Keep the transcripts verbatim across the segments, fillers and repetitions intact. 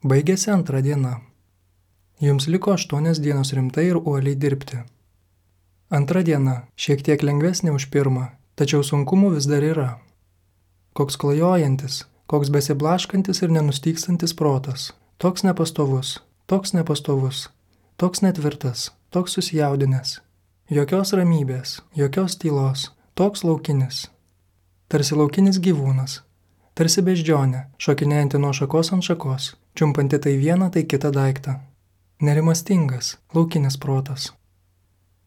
Baigėsi antra diena. Jums liko aštuonios dienos rimtai ir uoliai dirbti. Antra diena šiek tiek lengvesnė už pirmą, tačiau sunkumų vis dar yra. Koks klajojantis, koks besiblaškantis ir nenustykstantis protas, toks nepastovus, toks nepastovus, toks netvirtas, toks susijaudinęs. Jokios ramybės, jokios tylos, toks laukinis. Tarsi laukinis gyvūnas, tarsi beždžionė, šokinėjanti nuo šakos ant šakos, čiumpanti tai vieną, tai kitą daiktą. Nerimastingas, laukinis protas.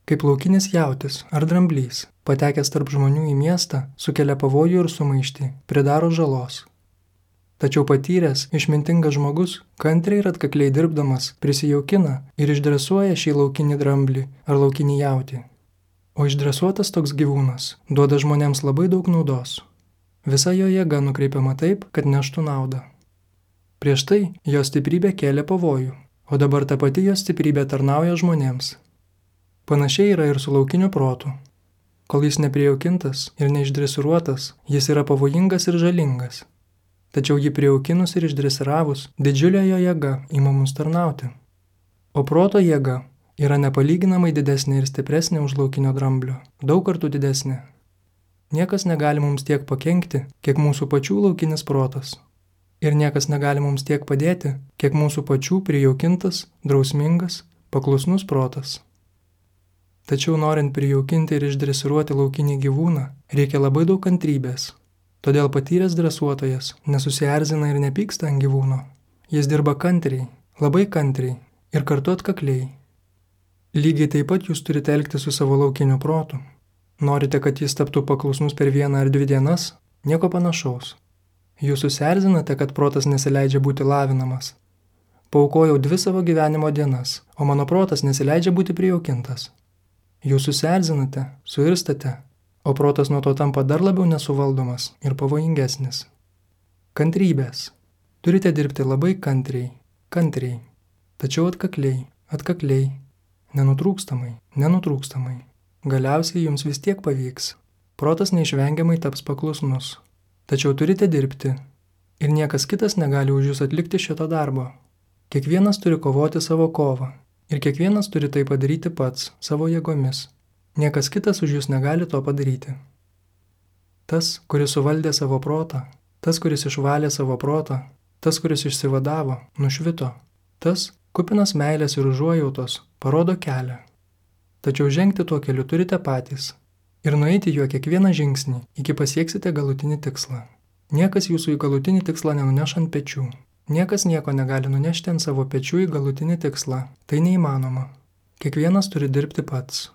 Kaip laukinis jautis ar dramblys, patekęs tarp žmonių į miestą, sukelia pavojų ir sumaištį, pridaro žalos. Tačiau patyręs, išmintingas žmogus, kantriai ir atkakliai dirbdamas, prisijaukina ir išdresuoja šį laukinį dramblį ar laukinį jautį. O išdresuotas toks gyvūnas duoda žmonėms labai daug naudos. Visa jo jėga nukreipiama taip, kad neštų naudą. Prieš tai jo stiprybė kėlė pavojų, o dabar ta pati jo stiprybė tarnauja žmonėms. Panašiai yra ir su laukiniu protu. Kol jis neprijaukintas ir neišdresiruotas, jis yra pavojingas ir žalingas. Tačiau jį prijaukinus ir išdresiravus, didžiulė jo jėga ima mums tarnauti. O proto jėga yra nepalyginamai didesnė ir stipresnė už laukinio dramblio, daug kartų didesnė. Niekas negali mums tiek pakenkti, kiek mūsų pačių laukinis protas. Ir niekas negali mums tiek padėti, kiek mūsų pačių prijaukintas, drausmingas, paklusnus protas. Tačiau norint prijaukinti ir išdresiruoti laukinį gyvūną, reikia labai daug kantrybės. Todėl patyręs dresuotojas nesusierzina ir nepyksta ant gyvūno. Jis dirba kantriai, labai kantriai ir kartu atkakliai. Lygiai taip pat jūs turite elgti su savo laukiniu protu. Norite, kad jis taptų paklusnus per vieną ar dvi dienas? Nieko panašaus. Jūs susierzinate, kad protas nesileidžia būti lavinamas. Paaukojau dvi savo gyvenimo dienas, o mano protas nesileidžia būti prijaukintas. Jūs susierzinate, suirstate, o protas nuo to tampa dar labiau nesuvaldomas ir pavojingesnis. Kantrybės. Turite dirbti labai kantriai, kantriai, tačiau atkakliai, atkakliai, nenutrūkstamai, nenutrūkstamai. Galiausiai jums vis tiek pavyks. Protas neišvengiamai taps paklusnus. Tačiau turite dirbti. Ir niekas kitas negali už jūs atlikti šito darbo. Kiekvienas turi kovoti savo kovą. Ir kiekvienas turi tai padaryti pats, savo jėgomis. Niekas kitas už jūs negali to padaryti. Tas, kuris suvaldė savo protą, tas, kuris išvalė savo protą, tas, kuris išsivadavo, nušvito. Tas, kupinas meilės ir užuojautos, parodo kelią. Tačiau žengti tuo keliu turite patys ir nueiti juo kiekvieną žingsnį, iki pasieksite galutinį tikslą. Niekas jūsų į galutinį tikslą nenuneš ant pečių. Niekas nieko negali nunešti ant savo pečių į galutinį tikslą. Tai neįmanoma. Kiekvienas turi dirbti pats.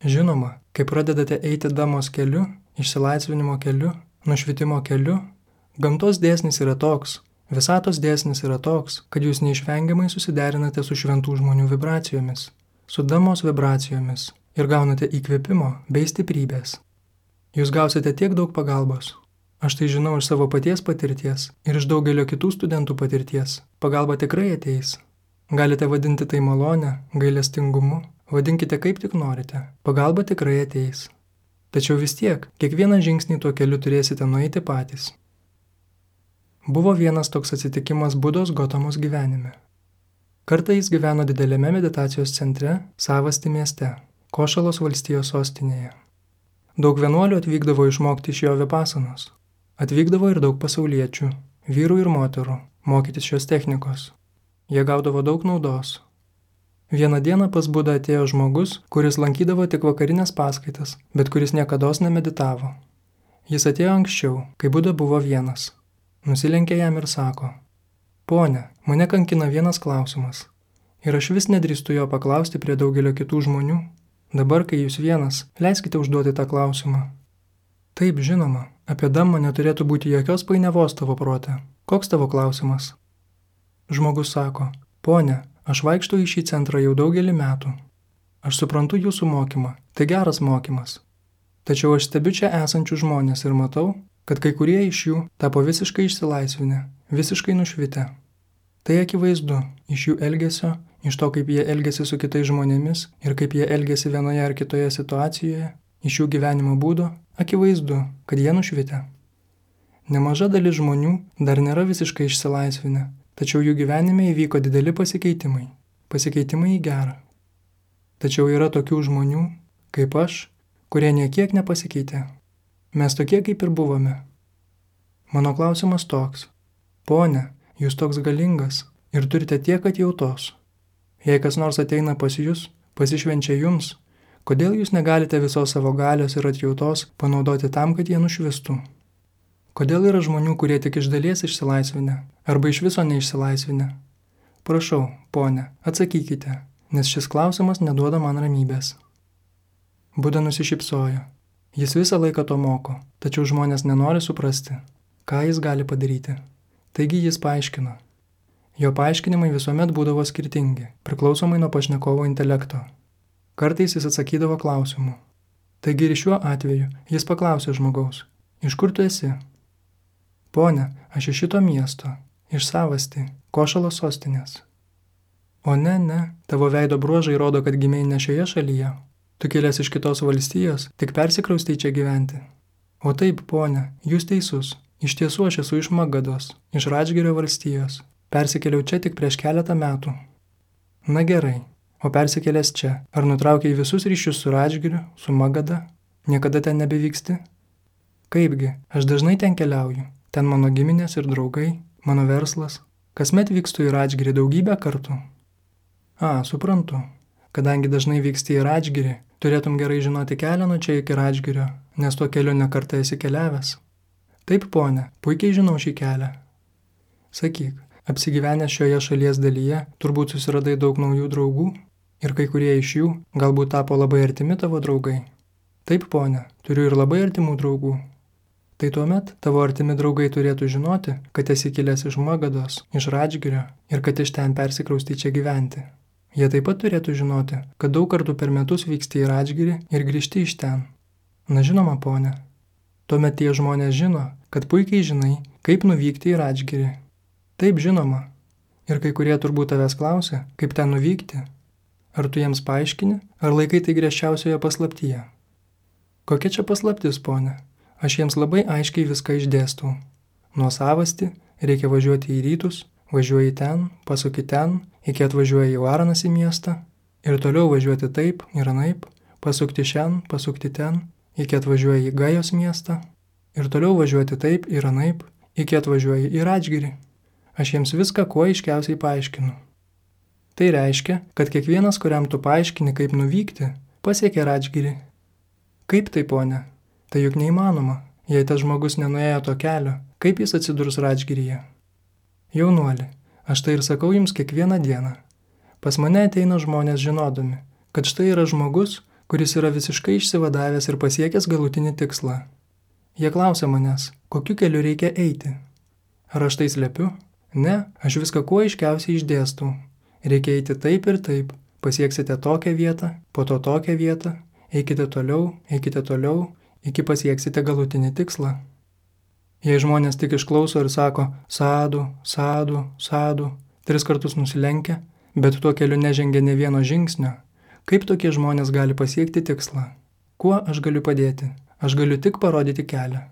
Žinoma, kai pradedate eiti damos keliu, išsilaisvinimo keliu, nušvitimo keliu, gamtos dėsnis yra toks, visatos dėsnis yra toks, kad jūs neišvengiamai susiderinate su šventų žmonių vibracijomis, su damos vibracijomis ir gaunate įkvėpimo bei stiprybės. Jūs gausite tiek daug pagalbos. Aš tai žinau iš savo paties patirties ir iš daugelio kitų studentų patirties. Pagalba tikrai ateis. Galite vadinti tai malonę, gailestingumu, vadinkite kaip tik norite. Pagalba tikrai ateis. Tačiau vis tiek, kiekvieną žingsnį tuo keliu turėsite nueiti patys. Buvo vienas toks atsitikimas Budos Gotamos gyvenime. Kartą jis gyveno didelėme meditacijos centre, Savasti mieste, Košalos valstijos sostinėje. Daug vienuolių atvykdavo išmokti iš jo vipasanos. Atvykdavo ir daug pasauliečių, vyrų ir moterų, mokytis šios technikos. Jie gaudavo daug naudos. Vieną dieną pas Budą atėjo žmogus, kuris lankydavo tik vakarinės paskaitas, bet kuris niekados nemeditavo. Jis atėjo anksčiau, kai Buda buvo vienas. Nusilenkė jam ir sako: Pone, mane kankina vienas klausimas. Ir aš vis nedrįstu jo paklausti prie daugelio kitų žmonių. Dabar, kai jūs vienas, leiskite užduoti tą klausimą. Taip, žinoma, apie Dhammą neturėtų būti jokios painiavos tavo prote. Koks tavo klausimas? Žmogus sako: Pone, aš vaikštau į šį centrą jau daugelį metų. Aš suprantu jūsų mokymą, tai geras mokymas. Tačiau aš stebiu čia esančių žmonės ir matau, kad kai kurie iš jų tapo visiškai išsilaisvinę, visiškai nušvitę. Tai akivaizdu iš jų elgesio, iš to, kaip jie elgesi su kitais žmonėmis ir kaip jie elgesi vienoje ar kitoje situacijoje, iš jų gyvenimo būdo, akivaizdu, kad jie nušvitę. Nemaža dalis žmonių dar nėra visiškai išsilaisvinę, tačiau jų gyvenime įvyko dideli pasikeitimai, pasikeitimai į gerą. Tačiau yra tokių žmonių, kaip aš, kurie niekiek nepasikeitė. Mes tokie, kaip ir buvome. Mano klausimas toks. Pone, jūs toks galingas ir turite tiek atjautos. Jei kas nors ateina pas jūs, pasišvenčia jums, kodėl jūs negalite visos savo galios ir atjautos panaudoti tam, kad jie nušvistų? Kodėl yra žmonių, kurie tik iš dalies išsilaisvinę, arba iš viso neišsilaisvinę? Prašau, pone, atsakykite, nes šis klausimas neduoda man ramybės. Buda nusišypsojo. Jis visą laiką to moko, tačiau žmonės nenori suprasti, ką jis gali padaryti. Taigi jis paaiškino. Jo paaiškinimai visuomet būdavo skirtingi, priklausomai nuo pašnekovo intelekto. Kartais jis atsakydavo klausimu. Taigi ir šiuo atveju jis paklausė žmogaus, iš kur tu esi? Pone, aš iš šito miesto, iš Savasti, Košalo sostinės. O ne, ne, tavo veido bruožai rodo, kad gimei ne šioje šalyje. Tu kilęs iš kitos valstijos, tik persikraustei čia gyventi. O taip, pone, jūs teisus. Iš tiesų aš esu iš Magados, iš Radžgirio valstijos. Persikėliau čia tik prieš keletą metų. Na gerai, o persikėlęs čia, ar nutraukiai visus ryšius su Radžgiriu, su Magada? Niekada ten nebevyksti? Kaipgi, aš dažnai ten keliauju. Ten mano giminės ir draugai, mano verslas. Kasmet vykstu į Radžgirį daugybę kartų. A, suprantu. Kadangi dažnai vyksti į Radžgirį, turėtum gerai žinoti kelią nuo čia iki Radžgirio, nes tuo keliu nekartą esi keliavęs. Taip, pone, puikiai žinau šį kelią. Sakyk, apsigyvenęs šioje šalies dalyje, turbūt susiradai daug naujų draugų ir kai kurie iš jų galbūt tapo labai artimi tavo draugai. Taip, pone, turiu ir labai artimų draugų. Tai tuomet tavo artimi draugai turėtų žinoti, kad esi kilęs iš Magados, iš Radžgirio ir kad iš ten persikraustai čia gyventi. Jie taip pat turėtų žinoti, kad daug kartų per metus vyksti į Radžgirį ir grįžti iš ten. Na žinoma, pone. Tuomet tie žmonės žino, kad puikiai žinai, kaip nuvykti į Radžgirį. Taip žinoma. Ir kai kurie turbūt tavęs klausia, kaip ten nuvykti. Ar tu jiems paaiškini, ar laikai tai griežčiausioje paslaptyje? Kokia čia paslaptis, pone? Aš jiems labai aiškiai viską išdėstau. Nuo Savasti reikia važiuoti į rytus, važiuoji ten, pasuki ten, iki atvažiuoji į Varanas į miestą ir toliau važiuoti taip ir anaip, pasukti šen, pasukti ten, iki atvažiuoji į Gajos miestą ir toliau važiuoti taip ir anaip, iki atvažiuoji į Radžgirį. Aš jiems viską kuo aiškiausiai paaiškinu. Tai reiškia, kad kiekvienas, kuriam tu paaiškini, kaip nuvykti, pasiekia Radžgirį. Kaip tai, pone? Tai juk neįmanoma, jei tas žmogus nenuėjo to kelio, kaip jis atsidurs Radžgiryje. Jaunuoli, aš tai ir sakau jums kiekvieną dieną. Pas mane ateina žmonės žinodami, kad štai yra žmogus, kuris yra visiškai išsivadavęs ir pasiekęs galutinį tikslą. Jie klausia manęs, kokiu keliu reikia eiti. Ar aš tai slepiu? Ne, aš viską kuo aiškiausiai išdėstau. Reikia eiti taip ir taip, pasieksite tokią vietą, po to tokią vietą, eikite toliau, eikite toliau, iki pasieksite galutinį tikslą. Jei žmonės tik išklauso ir sako sadu, sadu, sadu, tris kartus nusilenkia, bet tuo keliu nežengia ne vieno žingsnio, kaip tokie žmonės gali pasiekti tikslą? Kuo aš galiu padėti? Aš galiu tik parodyti kelią.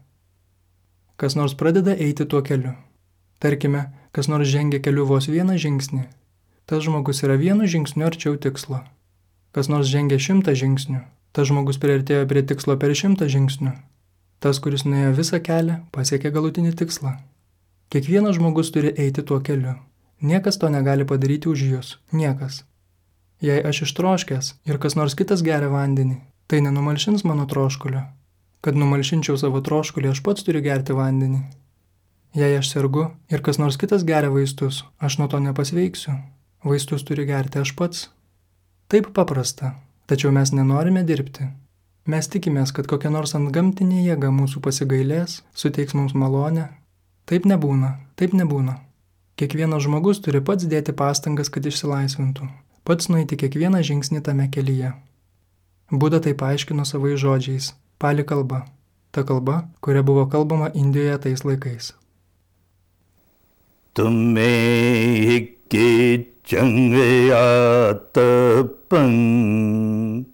Kas nors pradeda eiti tuo keliu. Tarkime, kas nors žengia keliu vos vieną žingsnį. Tas žmogus yra vienu žingsniu arčiau tikslo. Kas nors žengia šimtą žingsnių. Tas žmogus priartėjo prie tikslo per šimtą žingsnių. Tas, kuris nuėjo visą kelią, pasiekė galutinį tikslą. Kiekvienas žmogus turi eiti tuo keliu. Niekas to negali padaryti už jūs. Niekas. Jei aš ištroškęs ir kas nors kitas geria vandenį, tai nenumalšins mano troškulio. Kad numalšinčiau savo troškulį, aš pats turiu gerti vandenį. Jei aš sergu ir kas nors kitas geria vaistus, aš nuo to nepasveiksiu. Vaistus turi gerti aš pats. Taip paprasta. Tačiau mes nenorime dirbti. Mes tikimės, kad kokia nors antgamtinė jėga mūsų pasigailės, suteiks mums malonę. Taip nebūna, taip nebūna. Kiekvienas žmogus turi pats dėti pastangas, kad išsilaisvintų. Pats nueiti kiekvieną žingsnį tame kelyje. Buda tai paaiškino savais žodžiais. Pali kalba. Ta kalba, kuria buvo kalbama Indijoje tais laikais. Tumme hikki Changayatapang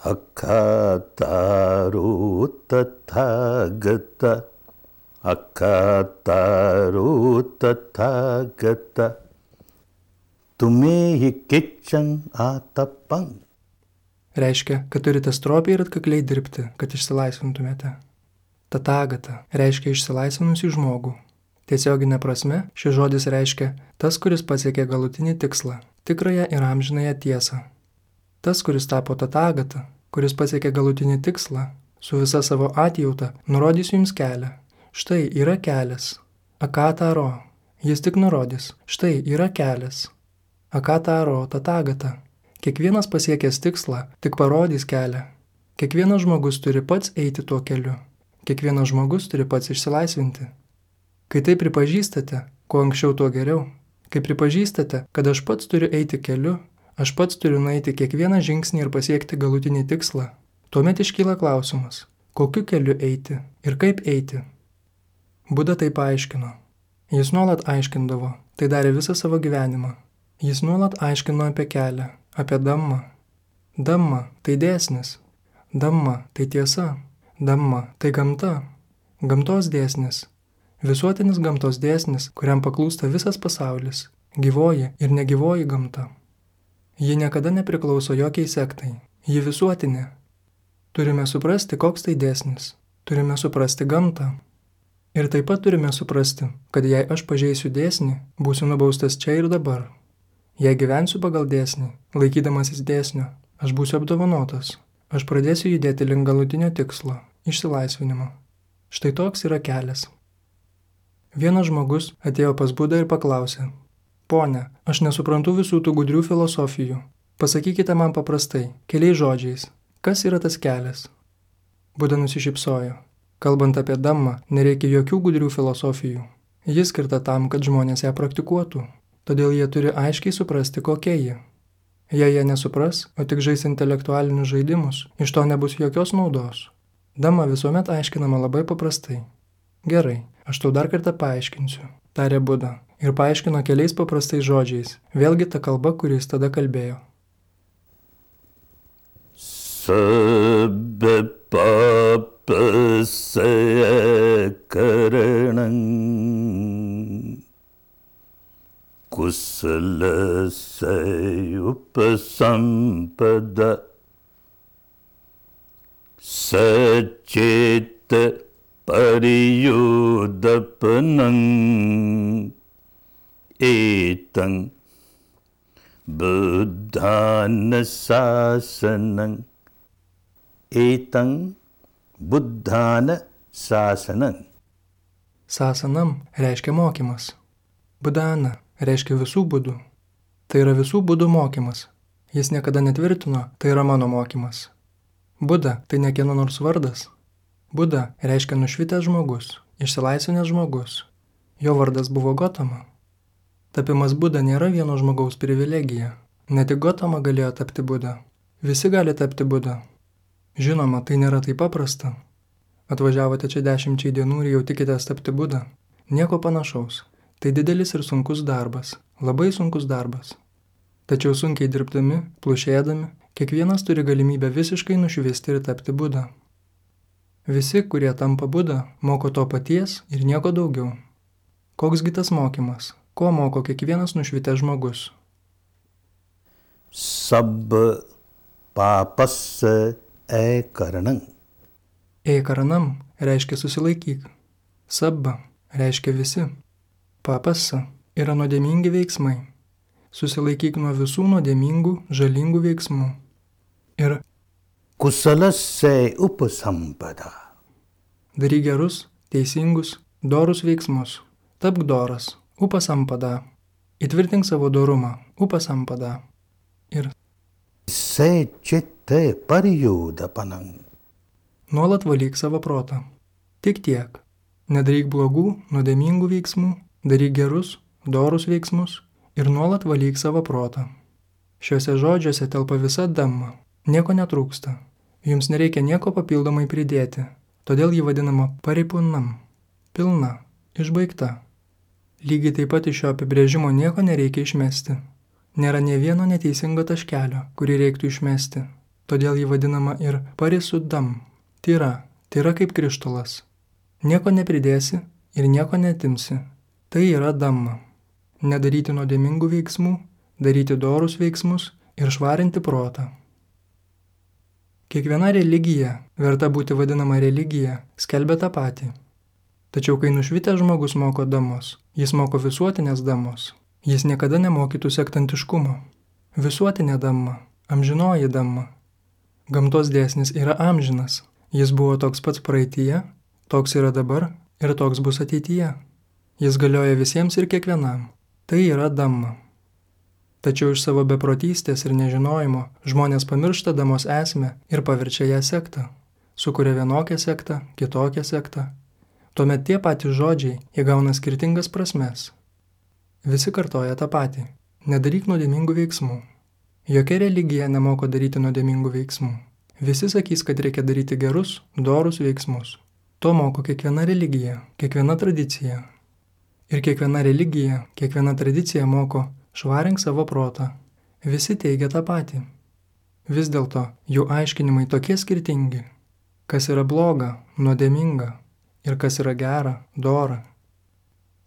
Akataru Tathagata akataro tathagata tumehi kichang atapang. Reiškia, kad turite stropiai ir atkakliai dirbti, kad išsilaisvintumėte. Tatagata reiškia išsilaisvinusį žmogų. Tiesioginė prasme, šis žodis reiškia tas, kuris pasiekė galutinį tikslą, tikrąją ir amžinąją tiesą. Tas, kuris tapo tatagata, kuris pasiekė galutinį tikslą, su visa savo atjauta, nurodys jums kelią. Štai yra kelias. Akataro. Jis tik nurodys. Štai yra kelias. Akataro tatagata. Kiekvienas pasiekęs tikslą tik parodys kelią. Kiekvienas žmogus turi pats eiti tuo keliu. Kiekvienas žmogus turi pats išsilaisvinti. Kai tai pripažįstate, kuo anksčiau tuo geriau. Kai pripažįstate, kad aš pats turiu eiti keliu, aš pats turiu nueiti kiekvieną žingsnį ir pasiekti galutinį tikslą, tuomet iškyla klausimas, kokiu keliu eiti ir kaip eiti. Buda tai paaiškino. Jis nuolat aiškindavo, tai darė visą savo gyvenimą. Jis nuolat aiškino apie kelią, apie dhammą. Dhamma tai dėsnis. Dhamma tai tiesa. Dhamma tai gamta. Gamtos dėsnis. Visuotinis gamtos dėsnis, kuriam paklūsta visas pasaulis. Gyvoji ir negyvoji gamta. Ji niekada nepriklauso jokiai sektai. Ji visuotinė. Turime suprasti, koks tai dėsnis. Turime suprasti gamtą. Ir taip pat turime suprasti, kad jei aš pažeisiu dėsnį, būsiu nubaustas čia ir dabar. Jei gyvensiu pagal dėsnį, laikydamasis dėsnio, aš būsiu apdovanotas. Aš pradėsiu judėti link galutinio tikslo – išsilaisvinimo. Štai toks yra kelias. Vienas žmogus atėjo pas Budą ir paklausė: Pone, aš nesuprantu visų tų gudrių filosofijų. Pasakykite man paprastai, keliais žodžiais, kas yra tas kelias? Buda nusišypsojo. Kalbant apie dhammą, nereikia jokių gudrių filosofijų. Ji skirta tam, kad žmonės ją praktikuotų. Todėl jie turi aiškiai suprasti, kokia ji. Jei jie nesupras, o tik žais intelektualinius žaidimus, iš to nebus jokios naudos. Dhamma visuomet aiškinama labai paprastai. Gerai, aš tau dar kartą paaiškinsiu, tarė Buda, ir paaiškino keliais paprastais žodžiais, vėlgi ta kalba, kuris tada kalbėjo. Sabba papasaya karanam kusalasaya upasampada sacita pariyudapanam etang buddhana sasanam. Etang buddhana sasanam. Sasanam reiškia mokymas. Buddhana reiškia visų budų. Tai yra visų budų mokymas. Jis niekada netvirtino, tai yra mano mokymas. Buda tai ne kieno nors vardas. Buda reiškia nušvitęs žmogus, išsilaisvinęs žmogus. Jo vardas buvo Gotama. Tapimas Buda nėra vieno žmogaus privilegija. Ne tik Gotama galėjo tapti Buda. Visi gali tapti Buda. Žinoma, tai nėra taip paprasta. Atvažiavote čia dešimčiai dienų ir jau tikitės tapti Buda. Nieko panašaus. Tai didelis ir sunkus darbas. Labai sunkus darbas. Tačiau sunkiai dirbdami, plušėdami, kiekvienas turi galimybę visiškai nušvisti ir tapti Buda. Visi, kurie tampa Buda, moko to paties ir nieko daugiau. Koksgi tas mokymas? Ko moko kiekvienas nušvitęs žmogus? Sabba papasa ekaranam. Ekaranam reiškia susilaikyk. Sabba reiškia visi. Papasa yra nuodėmingi veiksmai. Susilaikyk nuo visų nuodėmingų, žalingų veiksmų. Ir kusalasaya upasampada. daryk gerus, teisingus, dorus veiksmus. Tapk doras, upasampada. Įtvirtink savo dorumą, upasampada. Ir Sacita pariyudapanam. nuolat valyk savo protą. Tik tiek. Nedaryk blogų, nuodėmingų veiksmų, daryk gerus, dorus veiksmus ir nuolat valyk savo protą. Šiuose žodžiuose telpa visa dhamma. Nieko netrūksta. Jums nereikia nieko papildomai pridėti. Todėl jį vadinama paripunam. Pilna, išbaigta. Lygiai taip pat iš šio apibrėžimo nieko nereikia išmesti. Nėra nė vieno neteisingo taškelio, kurį reiktų išmesti. Todėl jį vadinama ir parisudam. Tyra, tyra kaip krištolas. Nieko nepridėsi, ir nieko netimsi. Tai yra damma. Nedaryti nuodėmingų veiksmų, daryti dorus veiksmus ir švarinti protą. Kiekviena religija, verta būti vadinama religija, skelbia tą patį. Tačiau kai nušvitęs žmogus moko damos, jis moko visuotinės damos. Jis niekada nemokytų sektantiškumo. Visuotinė damma, amžinoji damma. Gamtos dėsnis yra amžinas. Jis buvo toks pats praeityje, toks yra dabar ir toks bus ateityje. Jis galioja visiems ir kiekvienam. Tai yra damma. Tačiau iš savo beprotystės ir nežinojimo žmonės pamiršta damos esmę ir paverčia ją sektą. Sukuria vienokią sektą, kitokią sektą. Tuomet tie patys žodžiai įgauna skirtingas prasmes. Visi kartoja tą patį. Nedaryk nuodėmingų veiksmų. Jokia religija nemoko daryti nuodėmingų veiksmų. Visi sakys, kad reikia daryti gerus, dorus veiksmus. To moko kiekviena religija, kiekviena tradicija. Ir kiekviena religija, kiekviena tradicija moko švarink savo protą. Visi teigia tą patį. Vis dėlto jų aiškinimai tokie skirtingi. Kas yra bloga, nuodėminga ir kas yra gera, dora.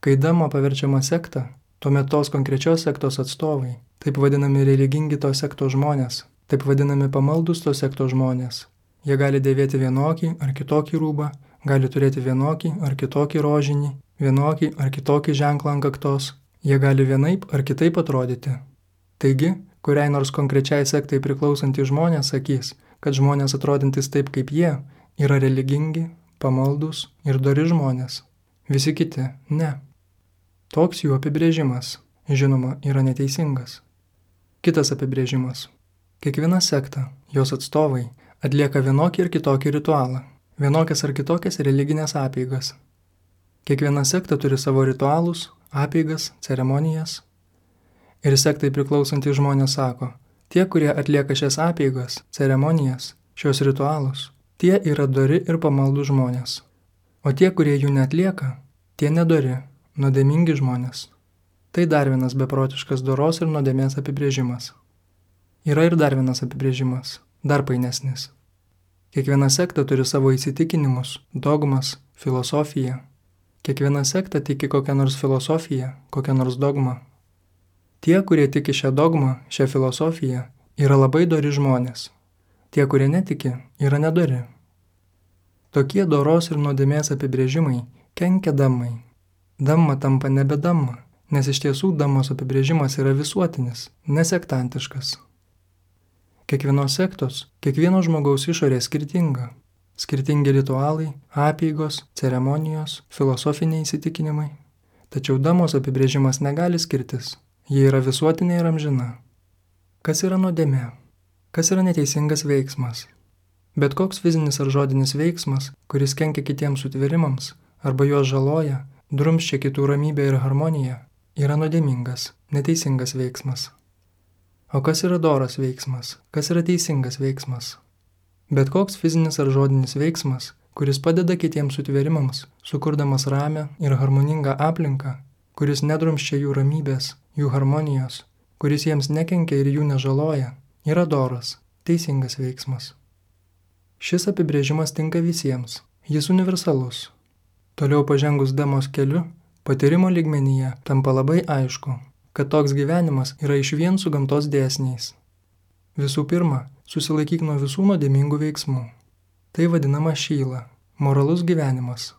Kai dama paverčiama sekta, tuomet tos konkrečios sektos atstovai, taip vadinami religingi tos sektos žmonės, taip vadinami pamaldus tos sektos žmonės. Jie gali dėvėti vienokį ar kitokį rūbą, gali turėti vienokį ar kitokį rožinį, vienokį ar kitokį ženklą ant kaktos. Jie gali vienaip ar kitaip atrodyti. Taigi, kuriai nors konkrečiai sektai priklausantys žmonės sakys, kad žmonės atrodintys taip kaip jie yra religingi, pamaldus ir dori žmonės. Visi kiti ne. Toks jų apibrėžimas, žinoma, yra neteisingas. Kitas apibrėžimas. Kiekviena sekta, jos atstovai, atlieka vienokį ir kitokį ritualą, vienokias ar kitokias religinės apeigas. Kiekviena sekta turi savo ritualus, apeigas, ceremonijas. Ir sektai priklausantys žmonės sako, tie, kurie atlieka šias apeigas, ceremonijas, šios ritualus, tie yra dori ir pamaldų žmonės. O tie, kurie jų neatlieka, tie nedori, nuodėmingi žmonės. Tai dar vienas beprotiškas doros ir nuodėmės apibrėžimas. Yra ir dar vienas apibrėžimas, dar painesnis. Kiekviena sekta turi savo įsitikinimus, dogmas, filosofiją. Kiekviena sekta tiki kokią nors filosofiją, kokią nors dogmą. Tie, kurie tiki šią dogmą, šią filosofiją, yra labai dori žmonės. Tie, kurie netiki, yra nedori. Tokie doros ir nuodėmės apibrėžimai kenkia damai. Damma tampa nebe damma, nes iš tiesų damos apibrėžimas yra visuotinis, nesektantiškas. Kiekvienos sektos, kiekvieno žmogaus išorė skirtinga. Skirtingi ritualai, apeigos, ceremonijos, filosofiniai įsitikinimai. Tačiau damos apibrėžimas negali skirtis. Jie yra visuotinė ir amžina. Kas yra nuodėmė? Kas yra neteisingas veiksmas? Bet koks fizinis ar žodinis veiksmas, kuris kenkia kitiems sutvėrimams arba juos žaloja, drumsčia kitų ramybę ir harmoniją, yra nuodėmingas, neteisingas veiksmas. O kas yra doras veiksmas? Kas yra teisingas veiksmas? Bet koks fizinis ar žodinis veiksmas, kuris padeda kitiems sutvėrimams, sukurdamas ramę ir harmoningą aplinką, kuris nedrumsčia jų ramybės, jų harmonijos, kuris jiems nekenkia ir jų nežaloja, yra doras, teisingas veiksmas. Šis apibrėžimas tinka visiems, jis universalus. Toliau pažengus damos keliu, patyrimo lygmenyje tampa labai aišku, kad toks gyvenimas yra išvien su gamtos dėsniais. Visų pirma, susilaikyk nuo visų nuodėmingų veiksmų. Tai vadinama šyla, moralus gyvenimas.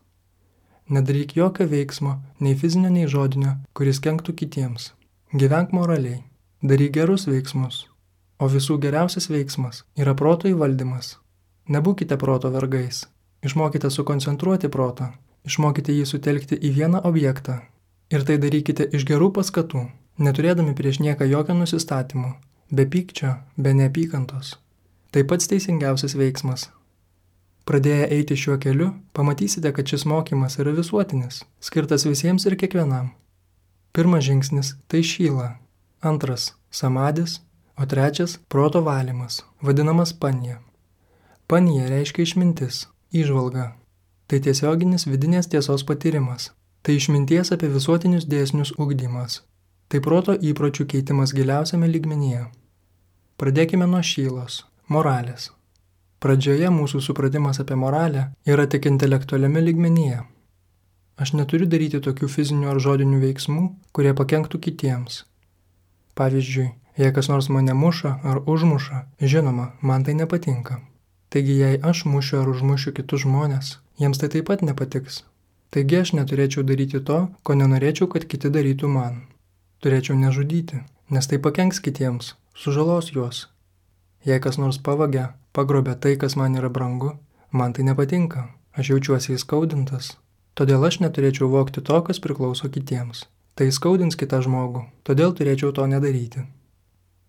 Nedaryk jokio veiksmo, nei fizinio, nei žodinio, kuris kenktų kitiems. Gyvenk moraliai, daryk gerus veiksmus. O visų geriausias veiksmas yra proto įvaldymas. Nebūkite proto vergais. Išmokite sukoncentruoti protą, išmokite jį sutelkti į vieną objektą. Ir tai darykite iš gerų paskatų, neturėdami prieš nieką jokio nusistatymo. Be pykčio, be neapykantos. Tai pats teisingiausias veiksmas. Pradėję eiti šiuo keliu, pamatysite, kad šis mokymas yra visuotinis, skirtas visiems ir kiekvienam. Pirmas žingsnis – tai šyla. Antras – samadis, o trečias – proto valymas, vadinamas panija. Panija reiškia išmintis, įžvalga. Tai tiesioginis vidinės tiesos patyrimas. Tai išminties apie visuotinius dėsnius ugdymas. Tai proto įpročių keitimas giliausiame lygmenyje. Pradėkime nuo šylos, moralės. Pradžioje mūsų supratimas apie moralę yra tik intelektualiame lygmenyje. Aš neturiu daryti tokių fizinių ar žodinių veiksmų, kurie pakenktų kitiems. Pavyzdžiui, jei kas nors mane muša ar užmuša, žinoma, man tai nepatinka. Taigi, jei aš mušiu ar užmušiu kitus žmonės, jiems tai taip pat nepatiks. Taigi aš neturėčiau daryti to, ko nenorėčiau, kad kiti darytų man. Turėčiau nežudyti, nes tai pakenks kitiems, sužalos juos. Jei kas nors pavagia, pagrobia tai, kas man yra brangu, man tai nepatinka, aš jaučiuosi įskaudintas. Todėl aš neturėčiau vogti to, kas priklauso kitiems. Tai įskaudins kitą žmogų, todėl turėčiau to nedaryti.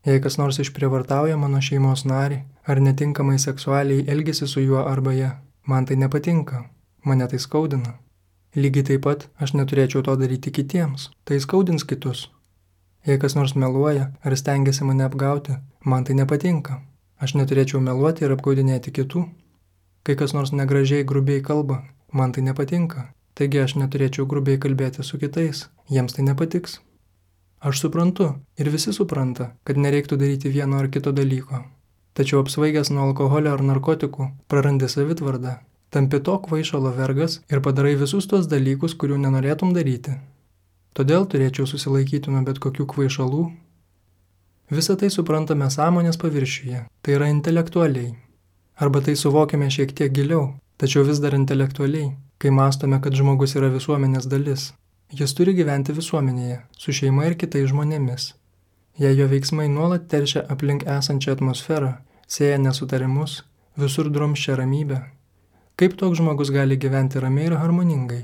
Jei kas nors išprievartauja mano šeimos narį ar netinkamai seksualiai elgesi su juo arba ja, man tai nepatinka, mane tai skaudina. Lygiai taip pat aš neturėčiau to daryti kitiems, tai skaudins kitus. Jei kas nors meluoja ar stengiasi mane apgauti, man tai nepatinka. Aš neturėčiau meluoti ir apgaudinėti kitų. Kai kas nors negražiai grubiai kalba, man tai nepatinka. Taigi aš neturėčiau grubiai kalbėti su kitais, jiems tai nepatiks. Aš suprantu ir visi supranta, kad nereiktų daryti vieno ar kito dalyko. Tačiau apsvaigęs nuo alkoholio ar narkotikų, prarandi savitvardą, tampi to kvaišalo vergas ir padarai visus tuos dalykus, kurių nenorėtum daryti. Todėl turėčiau susilaikyti nuo bet kokių kvaišalų. Visą tai suprantame sąmonės paviršiuje, tai yra intelektualiai. Arba tai suvokiame šiek tiek giliau, tačiau vis dar intelektualiai, kai mąstome, kad žmogus yra visuomenės dalis. Jis turi gyventi visuomenėje, su šeima ir kitais žmonėmis. Jei jo veiksmai nuolat teršia aplink esančią atmosferą, sėja nesutarimus, visur drumsčia ramybę, kaip toks žmogus gali gyventi ramiai ir harmoningai?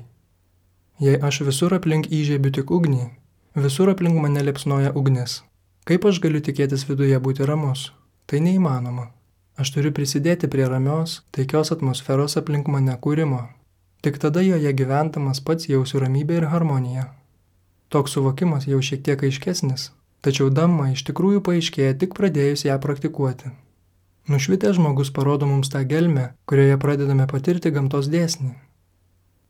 Jei aš visur aplink įžiebiu tik ugnį, visur aplink mane liepsnoja ugnis, kaip aš galiu tikėtis viduje būti ramus? Tai neįmanoma. Aš turiu prisidėti prie ramios, taikios atmosferos aplink mane kūrimo. Tik tada joje gyventamas pats jausiu ramybę ir harmoniją. Toks suvokimas jau šiek tiek aiškesnis, tačiau dhamma iš tikrųjų paaiškėja tik pradėjus ją praktikuoti. Nušvitęs žmogus parodo mums tą gelmę, kurioje pradedame patirti gamtos dėsnį.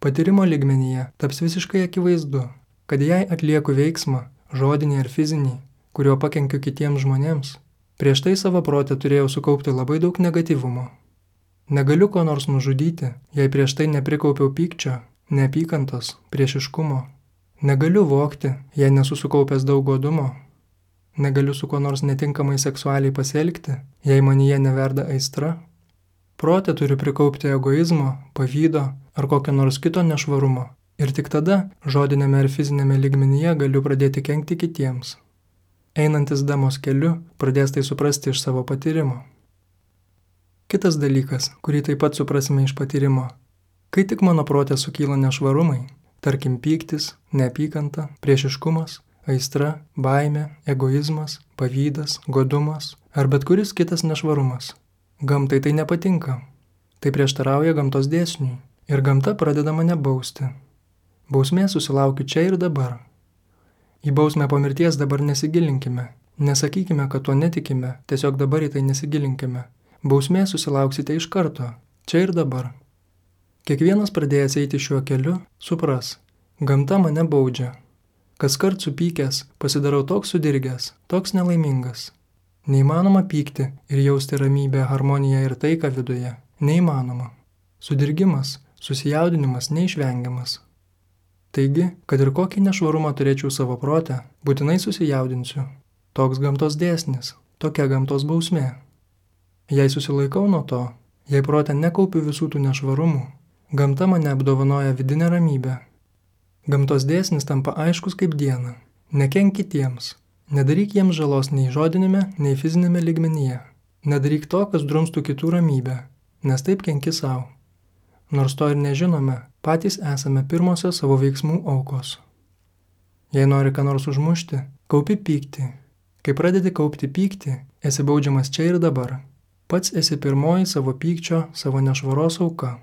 Patyrimo lygmenyje taps visiškai akivaizdu, kad jei atlieku veiksmą, žodinį ar fizinį, kuriuo pakenkiu kitiems žmonėms, prieš tai savo protę turėjau sukaupti labai daug negatyvumo. Negaliu ko nors nužudyti, jei prieš tai neprikaupiau pykčio, neapykantos, priešiškumo. Negaliu vogti, jei nesu sukaupęs daug godumo. Negaliu su kuo nors netinkamai seksualiai pasielgti, jei manyje neverda aistra. Protė turiu prikaupti egoizmo, pavydo ar kokio nors kito nešvarumo. Ir tik tada, žodinėme ar fizinėme lygmenyje galiu pradėti kenkti kitiems. Einantis damos keliu, pradės tai suprasti iš savo patyrimo. Kitas dalykas, kurį taip pat suprasime iš patyrimo. Kai tik mano protė sukyla nešvarumai, tarkim pyktis, neapykanta, priešiškumas, aistra, baimė, egoizmas, pavydas, godumas ar bet kuris kitas nešvarumas. Gamtai tai nepatinka. Tai prieštarauja gamtos dėsniui ir gamta pradeda mane bausti. Bausmė susilaukiu čia ir dabar. Į bausmę po mirties dabar nesigilinkime. Nesakykime, kad tuo netikime, tiesiog dabar į tai nesigilinkime. Bausmė susilauksite iš karto, čia ir dabar. Kiekvienas pradėjęs eiti šiuo keliu, supras, gamta mane baudžia. Kaskart supykęs, pasidarau toks sudirgęs, toks nelaimingas. Neįmanoma pykti ir jausti ramybę, harmoniją ir taiką viduje. Neįmanoma. Sudirgimas, susijaudinimas neišvengiamas. Taigi, kad ir kokį nešvarumą turėčiau savo protę, būtinai susijaudinsiu. Toks gamtos dėsnis, tokia gamtos bausmė. Jei susilaikau nuo to, jei protę nekaupiu visų tų nešvarumų, gamta mane apdovanoja vidinę ramybę. Gamtos dėsnis tampa aiškus kaip diena. Nekenk kitiems. Nedaryk jiems žalos nei žodinėme, nei fizinėme lygmenyje. Nedaryk to, kas drumstų kitų ramybę, nes taip kenki savo. Nors to ir nežinome, patys esame pirmosios savo veiksmų aukos. Jei nori ką nors užmušti, kaupi pyktį. Kai pradedi kaupti pyktį, esi baudžiamas čia ir dabar. Pats esi pirmoji savo pykčio, savo nešvaros auka.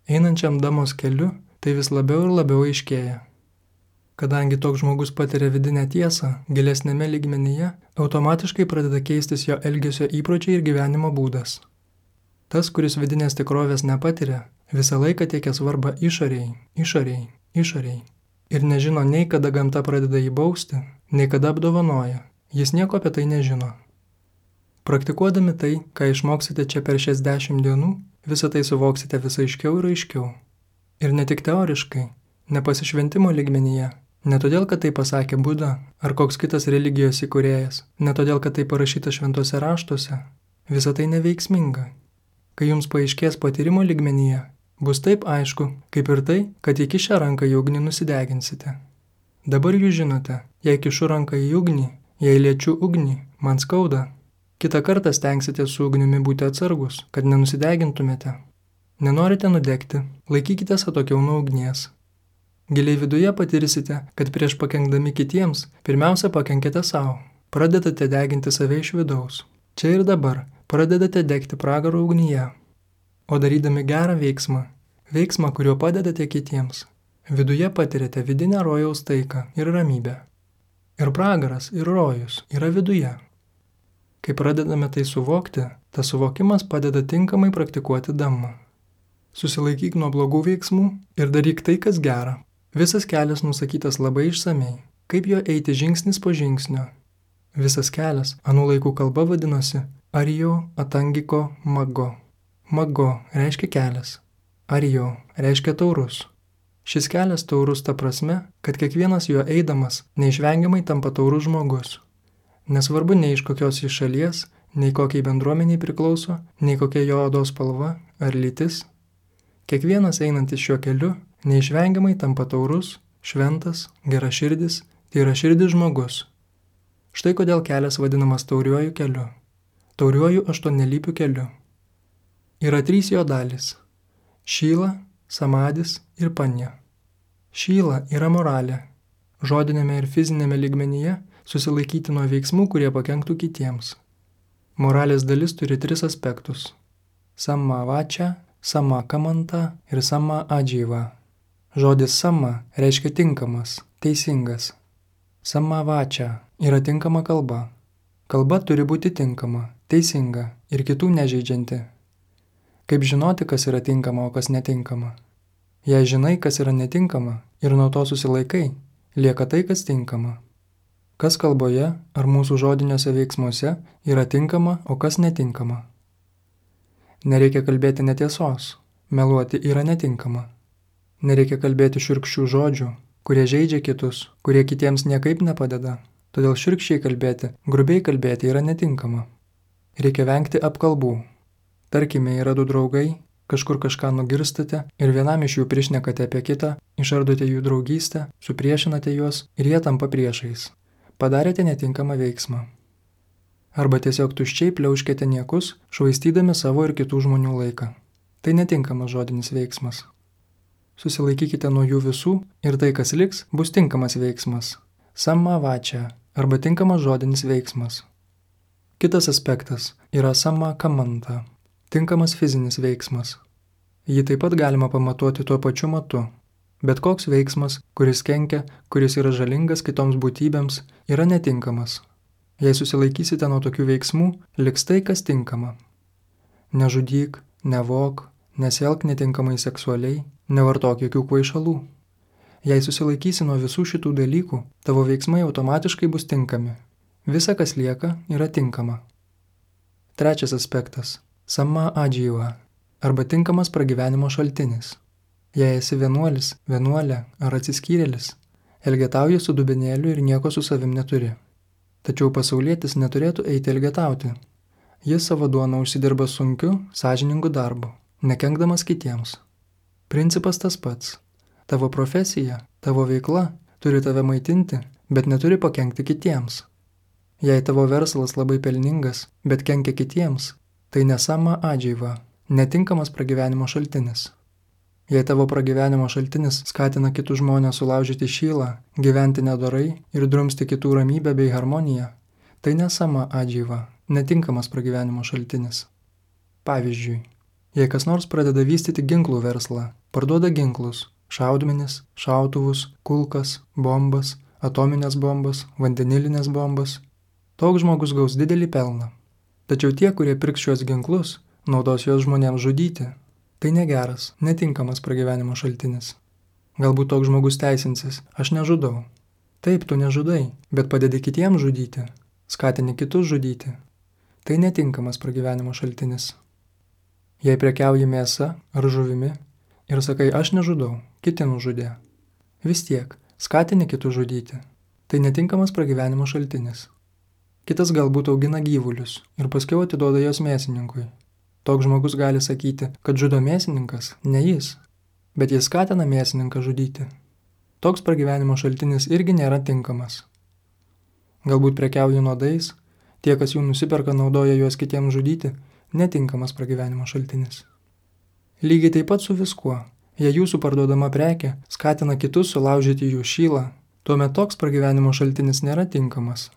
Einančiam damos keliu, tai vis labiau ir labiau aiškėja. Kadangi toks žmogus patiria vidinę tiesą, gilesnėme lygmenyje, automatiškai pradeda keistis jo elgesio įpročiai ir gyvenimo būdas. Tas, kuris vidinės tikrovės nepatiria, visą laiką teikia svarbą išoriai, išoriai, išoriai. Ir nežino nei kada gamta pradeda jį bausti, nei kada apdovanoja. Jis nieko apie tai nežino. Praktikuodami tai, ką išmoksite čia per šias dešimt dienų, visą tai suvoksite vis aiškiau ir aiškiau. Ir ne tik teoriškai, nepasišventimo lygmenyje, ne todėl, kad tai pasakė Buda ar koks kitas religijos įkūrėjas, ne todėl, kad tai parašyta šventuose raštuose, visa tai neveiksminga. Kai jums paaiškės patyrimo lygmenyje, bus taip aišku, kaip ir tai, kad įkišę ranką į ugnį nusideginsite. Dabar jūs žinote, jei kišu ranką į ugnį, jei liečiu ugnį, man skauda. Kitą kartą stengsite su ugnimi būti atsargus, kad nenusidegintumėte. Nenorite nudegti, laikykitės atokiau nuo ugnies. Giliai viduje patirsite, kad prieš pakenkdami kitiems, pirmiausia pakenkite savo. Pradedate deginti save iš vidaus. Čia ir dabar pradedate degti pragaro ugnyje. O darydami gerą veiksmą, veiksmą, kuriuo padedate kitiems, viduje patirite vidinę rojaus taiką ir ramybę. Ir pragaras, ir rojus yra viduje. Kai pradedame tai suvokti, tas suvokimas padeda tinkamai praktikuoti dhammą. Susilaikyk nuo blogų veiksmų ir daryk tai, kas gera. Visas kelias nusakytas labai išsamei, kaip jo eiti žingsnis po žingsnio. Visas kelias, anų laikų kalba vadinosi Arijo Atangiko Maggo. Maggo reiškia kelias, Arijo reiškia taurus. Šis kelias taurus ta prasme, kad kiekvienas jo eidamas neišvengiamai tampa taurus žmogus. Nesvarbu nei iš kokios iš šalies, nei kokiai bendruomeniai priklauso, nei kokia jo odos spalva ar lytis. Kiekvienas einantis šiuo keliu neišvengiamai tampa taurus, šventas, geraširdis, tai yra širdis žmogus. Štai kodėl kelias vadinamas tauriuoju keliu, tauriuoju aštuonelypiu keliu. Yra trys jo dalys – šyla, samadis ir panja. Šyla yra moralė, žodinėme ir fizinėme lygmenyje susilaikyti nuo veiksmų, kurie pakenktų kitiems. Moralės dalis turi tris aspektus – samma vača, samma kamanta ir samma adžyva. Žodis samma reiškia tinkamas, teisingas. Samma vača yra tinkama kalba. Kalba turi būti tinkama, teisinga ir kitų nežeidžianti. Kaip žinoti, kas yra tinkama, o kas netinkama? Jei žinai, kas yra netinkama ir nuo to susilaikai, lieka tai, kas tinkama. Kas kalboje ar mūsų žodiniuose veiksmuose yra tinkama, o kas netinkama. Nereikia kalbėti netiesos, meluoti yra netinkama. Nereikia kalbėti šiurkščių žodžių, kurie žeidžia kitus, kurie kitiems niekaip nepadeda. Todėl šiurkščiai kalbėti, grubiai kalbėti yra netinkama. Reikia vengti apkalbų. Tarkime, yra du draugai, kažkur kažką nugirstate ir vienam iš jų prišnekate apie kitą, išardote jų draugystę, supriešinate juos ir jie tampa priešais. Padarėte netinkamą veiksmą. Arba tiesiog tuščiai pliauškite niekus, švaistydami savo ir kitų žmonių laiką. Tai netinkamas žodinis veiksmas. Susilaikykite nuo jų visų ir tai, kas liks, bus tinkamas veiksmas. Samma vača arba tinkamas žodinis veiksmas. Kitas aspektas yra samma kamanta, tinkamas fizinis veiksmas. Jį taip pat galima pamatuoti tuo pačiu matu. Bet koks veiksmas, kuris kenkia, kuris yra žalingas kitoms būtybėms, yra netinkamas. Jei susilaikysite nuo tokių veiksmų, liks tai, kas tinkama. Nežudyk, nevok, nesielk netinkamai seksualiai, nevartok jokių kvaišalų. Jei susilaikysi nuo visų šitų dalykų, tavo veiksmai automatiškai bus tinkami. Visa, kas lieka, yra tinkama. Trečias aspektas – samma adžyva, arba tinkamas pragyvenimo šaltinis. Jei esi vienuolis, vienuolė ar atsiskyrėlis, elgetauji su dubenėliu ir nieko su savim neturi. Tačiau pasaulietis neturėtų eiti elgetauti. Jis savo duoną užsidirba sunkiu, sąžiningu darbu, nekenkdamas kitiems. Principas tas pats. Tavo profesija, tavo veikla turi tave maitinti, bet neturi pakenkti kitiems. Jei tavo verslas labai pelningas, bet kenkia kitiems, tai ne samma adžyva, netinkamas pragyvenimo šaltinis. Jei tavo pragyvenimo šaltinis skatina kitus žmonės sulaužyti šylą, gyventi nedorai ir drumsti kitų ramybę bei harmoniją, tai ne samma adžyva, netinkamas pragyvenimo šaltinis. Pavyzdžiui, jei kas nors pradeda vystyti ginklų verslą, parduoda ginklus, šaudmenis, šautuvus, kulkas, bombas, atominės bombas, vandenilinės bombas, toks žmogus gaus didelį pelną. Tačiau tie, kurie pirks šios ginklus, naudos juos žmonėms žudyti. Tai negeras, netinkamas pragyvenimo šaltinis. Galbūt toks žmogus teisinsis, aš nežudau. Taip, tu nežudai, bet padedi kitiems žudyti, skatini kitus žudyti. Tai netinkamas pragyvenimo šaltinis. Jei prekiauji mėsa ar žuvimi ir sakai, aš nežudau, kiti nužudė. Vis tiek, skatini kitus žudyti. Tai netinkamas pragyvenimo šaltinis. Kitas galbūt augina gyvulius ir paskiau atiduoda jos mėsininkui. Toks žmogus gali sakyti, kad žudo mėsininkas, ne jis, bet jis skatina mėsininką žudyti. Toks pragyvenimo šaltinis irgi nėra tinkamas. Galbūt prekiauji nuodais, tie, kas jų nusiperka, naudoja juos kitiems žudyti, netinkamas pragyvenimo šaltinis. Lygiai taip pat su viskuo. Jei jūsų parduodama prekė skatina kitus sulaužyti jų šylą, tuomet toks pragyvenimo šaltinis nėra tinkamas.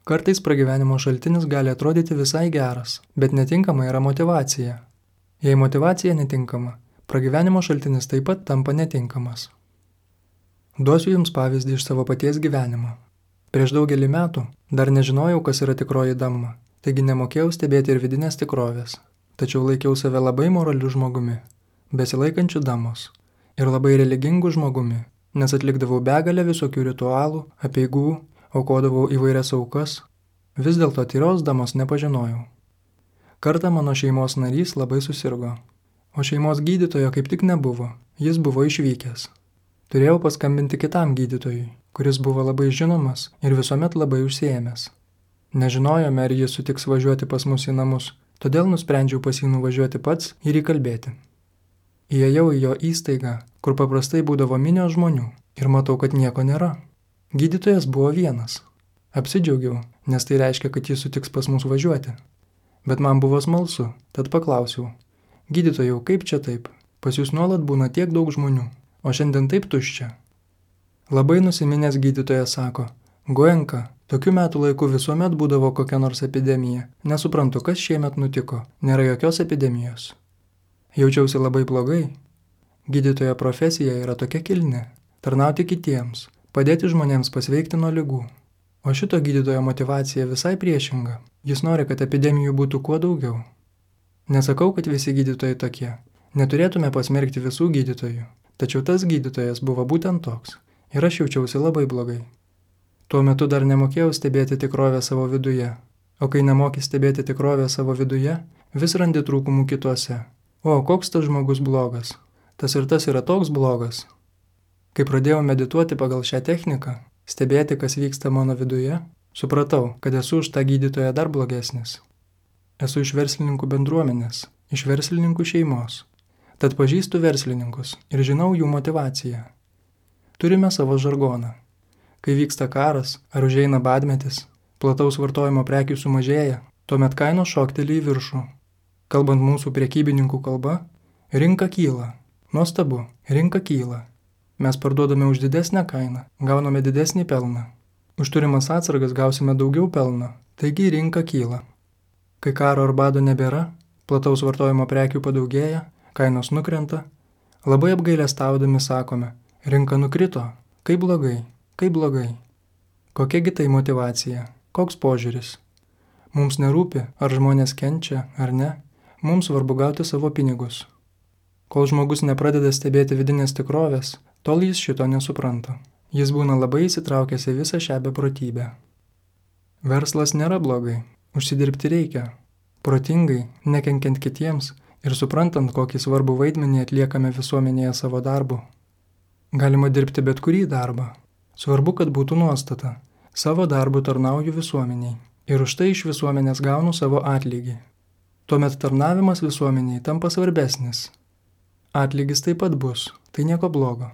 Kartais pragyvenimo šaltinis gali atrodyti visai geras, bet netinkama yra motyvacija. Jei motyvacija netinkama, pragyvenimo šaltinis taip pat tampa netinkamas. Duosiu jums pavyzdį iš savo paties gyvenimo. Prieš daugelį metų dar nežinojau, kas yra tikroji dhamma, taigi nemokėjau stebėti ir vidinės tikrovės, tačiau laikiau save labai moraliu žmogumi, besilaikančiu dhamos ir labai religingu žmogumi, nes atlikdavau begalę visokių ritualų, apeigų, aukodavau įvairias aukas, vis dėlto tyros dhamos nepažinojau. Kartą mano šeimos narys labai susirgo, o šeimos gydytojo kaip tik nebuvo, jis buvo išvykęs. Turėjau paskambinti kitam gydytojui, kuris buvo labai žinomas ir visuomet labai užsiėmęs. Nežinojome, ar jis sutiks važiuoti pas mus į namus, todėl nusprendžiau pas jį nuvažiuoti pats ir įkalbėti. Įėjau į jo įstaigą, kur paprastai būdavo minios žmonių, ir matau, kad nieko nėra. Gydytojas buvo vienas. Apsidžiaugiau, nes tai reiškia, kad jis sutiks pas mus važiuoti. Bet man buvo smalsu, tad paklausiau. Gydytojau, kaip čia taip? Pas jūs nuolat būna tiek daug žmonių, o šiandien taip tuščia. Labai nusiminęs gydytojas sako, Goenka, tokiu metų laiku visuomet būdavo kokia nors epidemija. Nesuprantu, kas šiemet nutiko, nėra jokios epidemijos. Jaučiausi labai blogai. Gydytojo profesija yra tokia kilni – tarnauti kitiems, padėti žmonėms pasveikti nuo ligų. O šito gydytojo motyvacija visai priešinga. Jis nori, kad epidemijų būtų kuo daugiau. Nesakau, kad visi gydytojai tokie. Neturėtume pasmerkti visų gydytojų. Tačiau tas gydytojas buvo būtent toks. Ir aš jaučiausi labai blogai. Tuo metu dar nemokėjau stebėti tikrovę savo viduje. O kai nemoki stebėti tikrovę savo viduje, vis randi trūkumų kituose. O, koks tas žmogus blogas. Tas ir tas yra toks blogas. Kai pradėjau medituoti pagal šią techniką, stebėti, kas vyksta mano viduje, supratau, kad esu už tą gydytoją dar blogesnis. Esu iš verslininkų bendruomenės, iš verslininkų šeimos. Tad pažįstu verslininkus ir žinau jų motyvaciją. Turime savo žargoną. Kai vyksta karas ar užeina badmetis, plataus vartojimo prekių sumažėja, tuomet kainos šokteli į viršų. Kalbant mūsų prekybininkų kalba, rinka kyla. Nuostabu, rinka kyla. Mes parduodame už didesnę kainą, gauname didesnį pelną. Už turimas atsargas gausime daugiau pelno, taigi rinka kyla. Kai karo ar bado nebėra, plataus vartojimo prekių padaugėja, kainos nukrenta, labai apgailestaudami sakome, rinka nukrito, kaip blogai, kaip blogai. Kokiagi tai motyvacija, koks požiūris? Mums nerūpi, ar žmonės kenčia, ar ne, mums svarbu gauti savo pinigus. Kol žmogus nepradeda stebėti vidinės tikrovės, tol jis šito nesupranta. Jis būna labai įsitraukęs į visą šią beprotybę. Verslas nėra blogai, užsidirbti reikia. Protingai, nekenkiant kitiems ir suprantant, kokį svarbų vaidmenį atliekame visuomenėje savo darbu. Galima dirbti bet kurį darbą. Svarbu, kad būtų nuostata. Savo darbu tarnauju visuomeniai ir už tai iš visuomenės gaunu savo atlygį. Tuomet tarnavimas visuomeniai tampa svarbesnis. Atlygis taip pat bus, tai nieko blogo.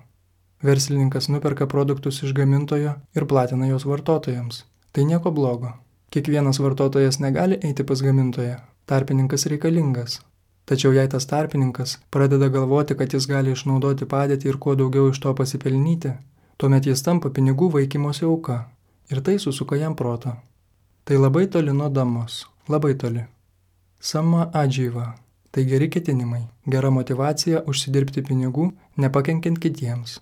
Verslininkas nuperka produktus iš gamintojo ir platina juos vartotojams. Tai nieko blogo. Kiekvienas vartotojas negali eiti pas gamintoją. Tarpininkas reikalingas. Tačiau jei tas tarpininkas pradeda galvoti, kad jis gali išnaudoti padėtį ir kuo daugiau iš to pasipelnyti, tuomet jis tampa pinigų vaikymosi auka ir tai susuka jam protą. Tai labai toli nuo dhamos, labai toli. Sama adžyva, tai geri ketinimai, gera motyvacija užsidirbti pinigų, nepakenkiant kitiems.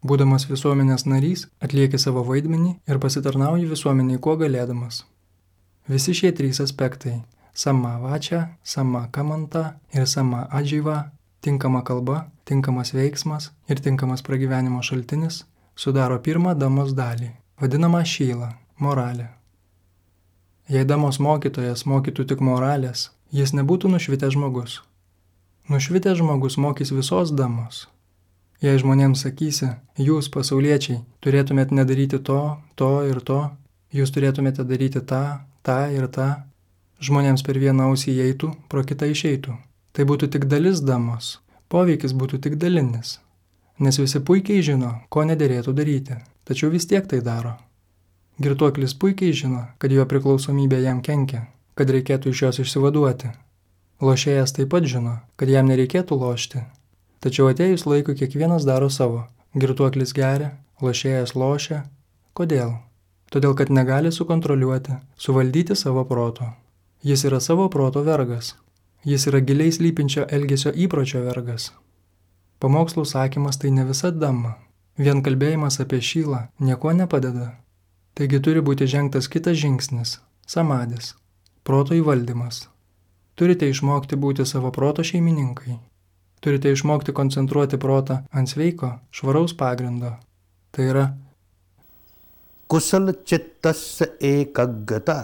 Būdamas visuomenės narys, atlieki savo vaidmenį ir pasitarnauji visuomeniai kuo galėdamas. Visi šie trys aspektai – sama vačia, sama kamanta ir sama adžyva, tinkama kalba, tinkamas veiksmas ir tinkamas pragyvenimo šaltinis – sudaro pirmą dhamos dalį, vadinamą šylą, moralę. Jei dhamos mokytojas mokytų tik moralės, jis nebūtų nušvitęs žmogus. Nušvitęs žmogus mokys visos dhamos. Jei žmonėms sakysi, jūs, pasauliečiai, turėtumėt nedaryti to, to ir to, jūs turėtumėte daryti tą, tą ir tą, žmonėms per vieną ausį įeitų, pro kitą išeitų. Tai būtų tik dalis damos, poveikis būtų tik dalinis, nes visi puikiai žino, ko nederėtų daryti, tačiau vis tiek tai daro. Girtuoklis puikiai žino, kad jo priklausomybė jam kenkia, kad reikėtų iš jos išsivaduoti. Lošėjas taip pat žino, kad jam nereikėtų lošti. Tačiau atėjus laikui kiekvienas daro savo. Girtuoklis geria, lošėjas lošia. Kodėl? Todėl, kad negali sukontroliuoti, suvaldyti savo proto. Jis yra savo proto vergas. Jis yra giliai slypinčio elgesio įpročio vergas. Pamokslų sakymas tai ne visa dama. Vien kalbėjimas apie šylą nieko nepadeda. Taigi turi būti žengtas kitas žingsnis – samadis, proto įvaldymas. Turite išmokti būti savo proto šeimininkai. Turite išmokti koncentruoti protą ant sveiko, švaraus pagrindo. Tai yra kusala chittasya ekaggata.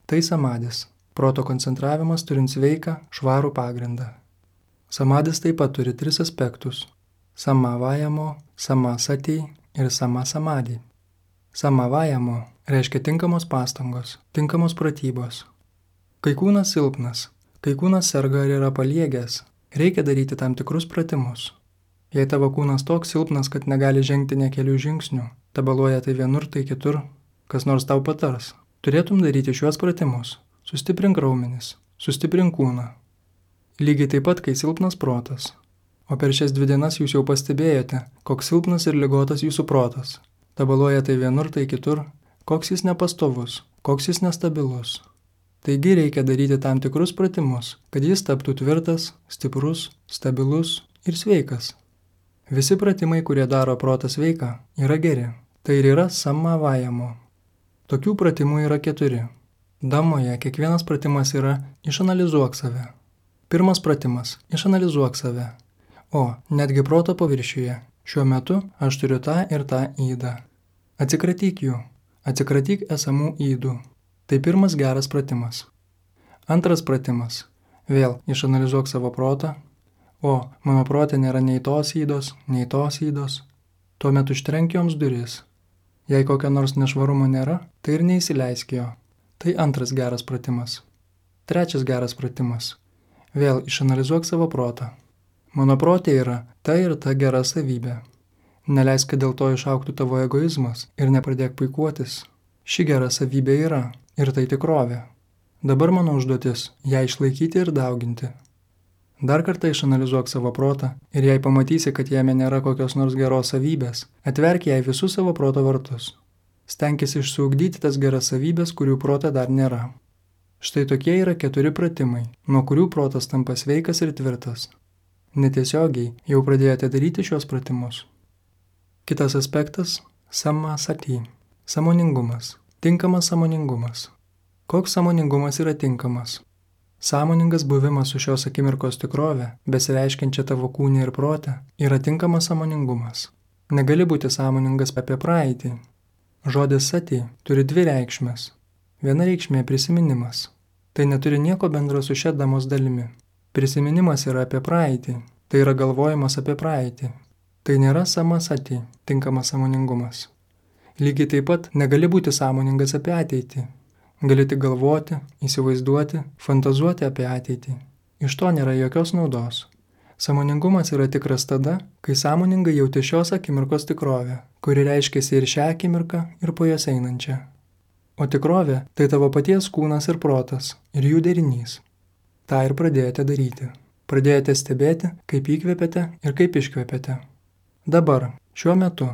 Tai samadis, proto koncentravimas turint sveiką, švarų pagrindą. Samadis taip pat turi tris aspektus – samavajamo, samasati ir samasamadi. Samavajamo reiškia tinkamos pastangos, tinkamos pratybos. Kai kūnas silpnas, kai kūnas serga ar yra paliegęs, reikia daryti tam tikrus pratimus. Jei tavo kūnas toks silpnas, kad negali žengti ne kelių žingsnių, tabaluoja tai vienur, tai kitur, kas nors tau patars, turėtum daryti šiuos pratimus. Sustiprink raumenis, sustiprink kūną. Lygiai taip pat, kai silpnas protas. O per šias dvi dienas jūs jau pastebėjote, koks silpnas ir ligotas jūsų protas. Tabaluoja tai vienur, tai kitur, koks jis nepastovus, koks jis nestabilus. Taigi reikia daryti tam tikrus pratimus, kad jis taptų tvirtas, stiprus, stabilus ir sveikas. Visi pratimai, kurie daro protą sveiką, yra geri. Tai ir yra samavajamo. Tokių pratimų yra keturi. Damoje kiekvienas pratimas yra išanalizuok save. Pirmas pratimas – išanalizuok save. O, netgi proto paviršiuje. Šiuo metu aš turiu tą ir tą įdą. Atsikratyk jų. Atsikratyk esamų įdų. Tai pirmas geras pratimas. Antras pratimas. Vėl išanalizuok savo protą. O, mano prote nėra nei tos įdos, nei tos įdos. Tuomet užtrenk joms duris. Jei kokio nors nešvarumo nėra, tai ir neįsileisk jo. Tai antras geras pratimas. Trečias geras pratimas. Vėl išanalizuok savo protą. Mano protė yra ta ir ta gera savybė. Neleisk, kad dėl to išauktų tavo egoizmas ir nepradėk puikuotis. Ši gera savybė yra. Ir tai tikrovė. Dabar mano užduotis – ją išlaikyti ir dauginti. Dar kartą išanalizuok savo protą ir jei pamatysi, kad jame nėra kokios nors geros savybės, atverk jai visus savo proto vartus. Stenkis išsiugdyti tas geras savybės, kurių prote dar nėra. Štai tokie yra keturi pratimai, nuo kurių protas tampa sveikas ir tvirtas. Netiesiogiai jau pradėjote daryti šios pratimus. Kitas aspektas – samasati, sąmoningumas. Tinkamas sąmoningumas. Koks sąmoningumas yra tinkamas? Sąmoningas buvimas su šios akimirkos tikrove, besireiškiančia tavo kūne ir prote, yra tinkamas sąmoningumas. Negali būti sąmoningas apie praeitį. Žodis sati turi dvi reikšmes. Viena reikšmė prisiminimas. Tai neturi nieko bendro su šia damos dalimi. Prisiminimas yra apie praeitį. Tai yra galvojimas apie praeitį. Tai nėra samasati, tinkamas sąmoningumas. Lygiai taip pat negali būti sąmoningas apie ateitį. Gali tik galvoti, įsivaizduoti, fantazuoti apie ateitį. Iš to nėra jokios naudos. Sąmoningumas yra tikras tada, kai sąmoningai jauti šios akimirkos tikrovę, kuri reiškiasi ir šią akimirką, ir po jos einančią. O tikrovė tai tavo paties kūnas ir protas, ir jų derinys. Ta ir pradėjote daryti. Pradėjote stebėti, kaip įkvėpėte ir kaip iškvėpėte. Dabar, šiuo metu,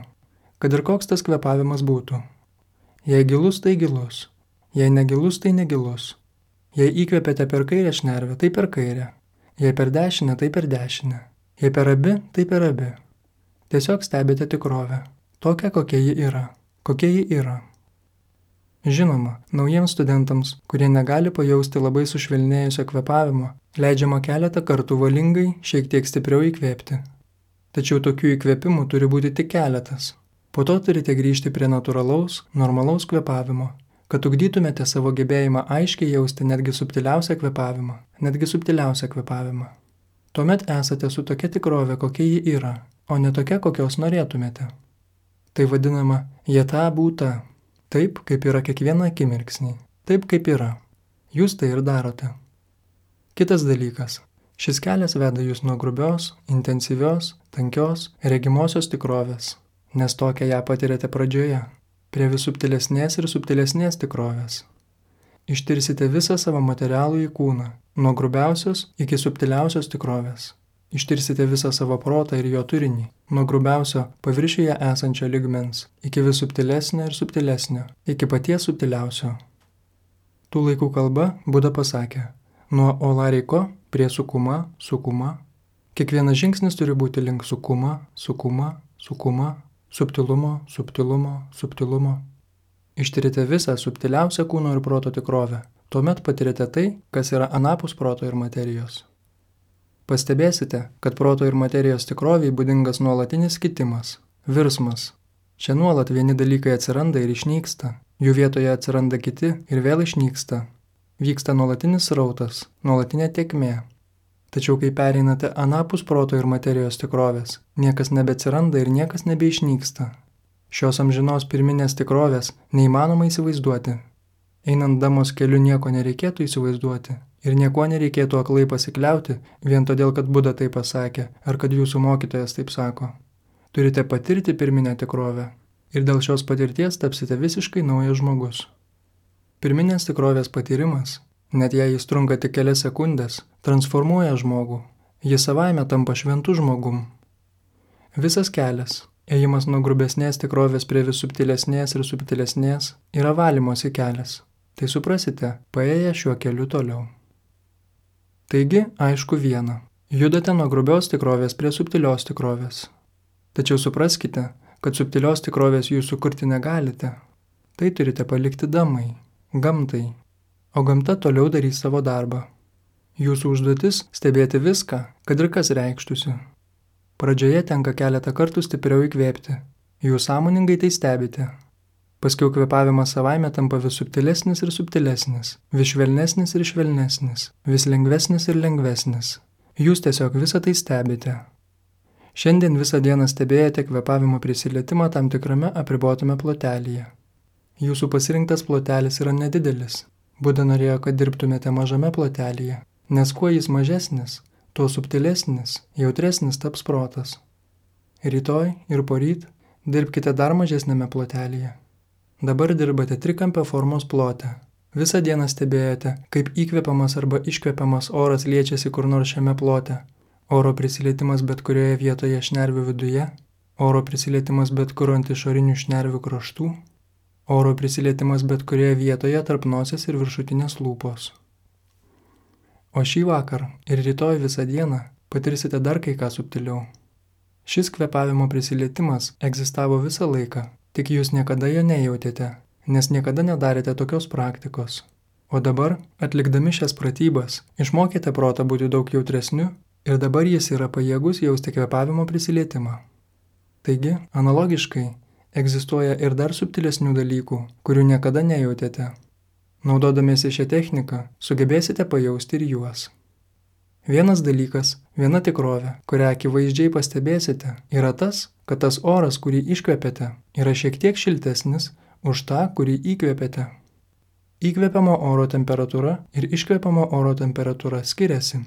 kad ir koks tas kvėpavimas būtų. Jei gilus, tai gilus. Jei negilus, tai negilus. Jei įkvėpėte per kairę šnervę, tai per kairę. Jei per dešinę, tai per dešinę. Jei per abi, tai per abi. Tiesiog stebite tikrovę. Tokia, kokia ji yra. Kokia ji yra. Žinoma, naujiems studentams, kurie negali pajausti labai sušvelnėjusio kvėpavimo, leidžiama keletą kartų valingai šiek tiek stipriau įkvėpti. Tačiau tokių įkvėpimų turi būti tik keletas. Po to turite grįžti prie natūralaus, normalaus kvėpavimo, kad ugdytumėte savo gebėjimą aiškiai jausti netgi subtiliausią kvėpavimą, netgi subtiliausią kvėpavimą. Tuomet esate su tokia tikrove, kokia ji yra, o ne tokia, kokios norėtumėte. Tai vadinama jeta būta, taip, kaip yra kiekvieną akimirksnį, taip, kaip yra. Jūs tai ir darote. Kitas dalykas. Šis kelias veda jūs nuo grubios, intensyvios, tankios, regimosios tikrovės, nes tokią ją patirėte pradžioje, prie vis subtilesnės ir subtilesnės tikrovės. Ištirsite visą savo materialų į kūną, nuo grubiausios iki subtiliausios tikrovės. Ištirsite visą savo protą ir jo turinį, nuo grubiausio paviršiuje esančio lygmens, iki vis subtilesnio ir subtilesnio, iki paties subtiliausio. Tų laikų kalba Buda pasakė, nuo olariko prie sukuma, sukuma. Kiekvienas žingsnis turi būti link sukuma, sukuma, sukuma, subtilumo, subtilumo, subtilumo. Ištirite visą subtiliausią kūno ir proto tikrovę. Tuomet patirite tai, kas yra anapus proto ir materijos. Pastebėsite, kad proto ir materijos tikroviai būdingas nuolatinis kitimas, virsmas. Čia nuolat vieni dalykai atsiranda ir išnyksta, jų vietoje atsiranda kiti ir vėl išnyksta. Vyksta nuolatinis srautas, nuolatinė tėkmė. Tačiau kai pereinate anapus proto ir materijos tikrovės, niekas nebeatsiranda ir niekas nebeišnyksta. Šios amžinos pirminės tikrovės neįmanoma įsivaizduoti. Einant damos keliu nieko nereikėtų įsivaizduoti ir nieko nereikėtų aklai pasikliauti vien todėl, kad Buda tai pasakė ar kad jūsų mokytojas taip sako. Turite patirti pirminę tikrovę ir dėl šios patirties tapsite visiškai naujas žmogus. Pirminės tikrovės patyrimas, net jei jis trunka tik kelias sekundės, transformuoja žmogų, jis savaime tampa šventu žmogum. Visas kelias, ėjimas nuo grubesnės tikrovės prie vis subtilesnės ir subtilesnės, yra valymosi kelias. Tai suprasite, paėję šiuo keliu toliau. Taigi, aišku viena, judate nuo grubios tikrovės prie subtilios tikrovės. Tačiau supraskite, kad subtilios tikrovės jūs sukurti negalite. Tai turite palikti damai, gamtai, o gamta toliau darys savo darbą. Jūsų užduotis stebėti viską, kad ir kas reikštųsi. Pradžioje tenka keletą kartų stipriau įkvėpti, jūs sąmoningai tai stebite. Paskiau kvėpavimas savaime tampa vis subtilesnis ir subtilesnis, vis švelnesnis ir švelnesnis, vis lengvesnis ir lengvesnis. Jūs tiesiog visą tai stebite. Šiandien visą dieną stebėjote kvėpavimo prisilietimą tam tikrame apribotame plotelyje. Jūsų pasirinktas plotelis yra nedidelis. Buda norėjo, kad dirbtumėte mažame plotelyje, nes kuo jis mažesnis, tuo subtilesnis, jautresnis taps protas. Rytoj ir poryt dirbkite dar mažesnėme plotelyje. Dabar dirbate trikampio formos plote. Visą dieną stebėjote, kaip įkvepiamas arba iškvepiamas oras liečiasi kur nors šiame plote. Oro prisilietimas bet kurioje vietoje šnervių viduje, oro prisilietimas bet kur ant išorinių šnervių kraštų, oro prisilietimas bet kurioje vietoje tarp nosies ir viršutinės lūpos. O šį vakar ir rytoj visą dieną patirsite dar kai ką subtiliau. Šis kvėpavimo prisilietimas egzistavo visą laiką, tik jūs niekada jo nejautėte, nes niekada nedarėte tokios praktikos. O dabar, atlikdami šias pratybas, išmokėte protą būti daug jautresniu ir dabar jis yra pajėgus jausti kvėpavimo prisilietimą. Taigi, analogiškai, egzistuoja ir dar subtilesnių dalykų, kurių niekada nejautėte. Naudodamiesi šią techniką, sugebėsite pajausti ir juos. Vienas dalykas, viena tikrovė, kurią akivaizdžiai pastebėsite, yra tas, kad tas oras, kurį iškvėpėte, yra šiek tiek šiltesnis už tą, kurį įkvėpėte. Įkvėpiamo oro temperatūra ir iškvėpiamo oro temperatūra skiriasi.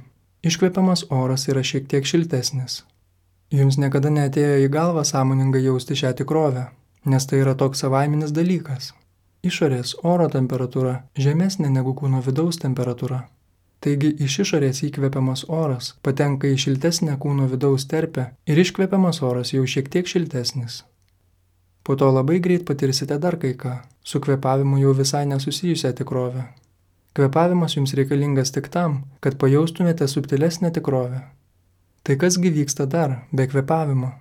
Iškvėpiamas oras yra šiek tiek šiltesnis. Jums niekada neatėjo į galvą sąmoningai jausti šią tikrovę, nes tai yra toks savaiminis dalykas. Išorės oro temperatūra žemesnė negu kūno vidaus temperatūra. Taigi iš išorės įkvepiamas oras patenka į šiltesnę kūno vidaus terpę ir iškvepiamas oras jau šiek tiek šiltesnis. Po to labai greit patirsite dar kai ką, su kvėpavimu jau visai nesusijusią tikrovę. Kvėpavimas jums reikalingas tik tam, kad pajaustumėte subtilesnę tikrovę. Tai kasgi vyksta dar, be kvėpavimo?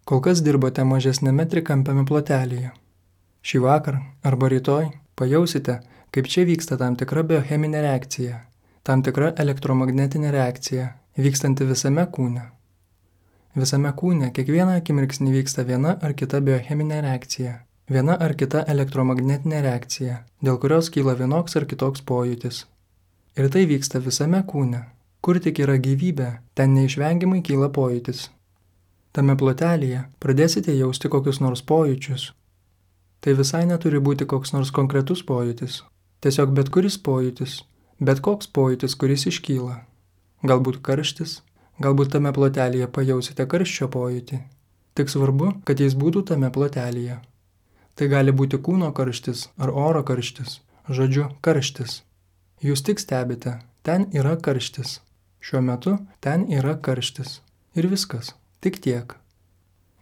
Kol kas dirbote mažesnėme trikampiame plotelyje. Šį vakar arba rytoj pajausite, kaip čia vyksta tam tikra biocheminė reakcija, tam tikra elektromagnetinė reakcija, vykstanti visame kūne. Visame kūne kiekvieną akimirksnį vyksta viena ar kita biocheminė reakcija, viena ar kita elektromagnetinė reakcija, dėl kurios kyla vienoks ar kitoks pojūtis. Ir tai vyksta visame kūne. Kur tik yra gyvybė, ten neišvengiamai kyla pojūtis. Tame plotelėje pradėsite jausti kokius nors pojūčius. Tai visai neturi būti koks nors konkretus pojūtis. Tiesiog bet kuris pojūtis, bet koks pojūtis, kuris iškyla. Galbūt karštis, galbūt tame plotelėje pajausite karščio pojūtį. Tik svarbu, kad jis būtų tame plotelėje. Tai gali būti kūno karštis ar oro karštis, žodžiu, karštis. Jūs tik stebite, ten yra karštis. Šiuo metu ten yra karštis. Ir viskas, tik tiek.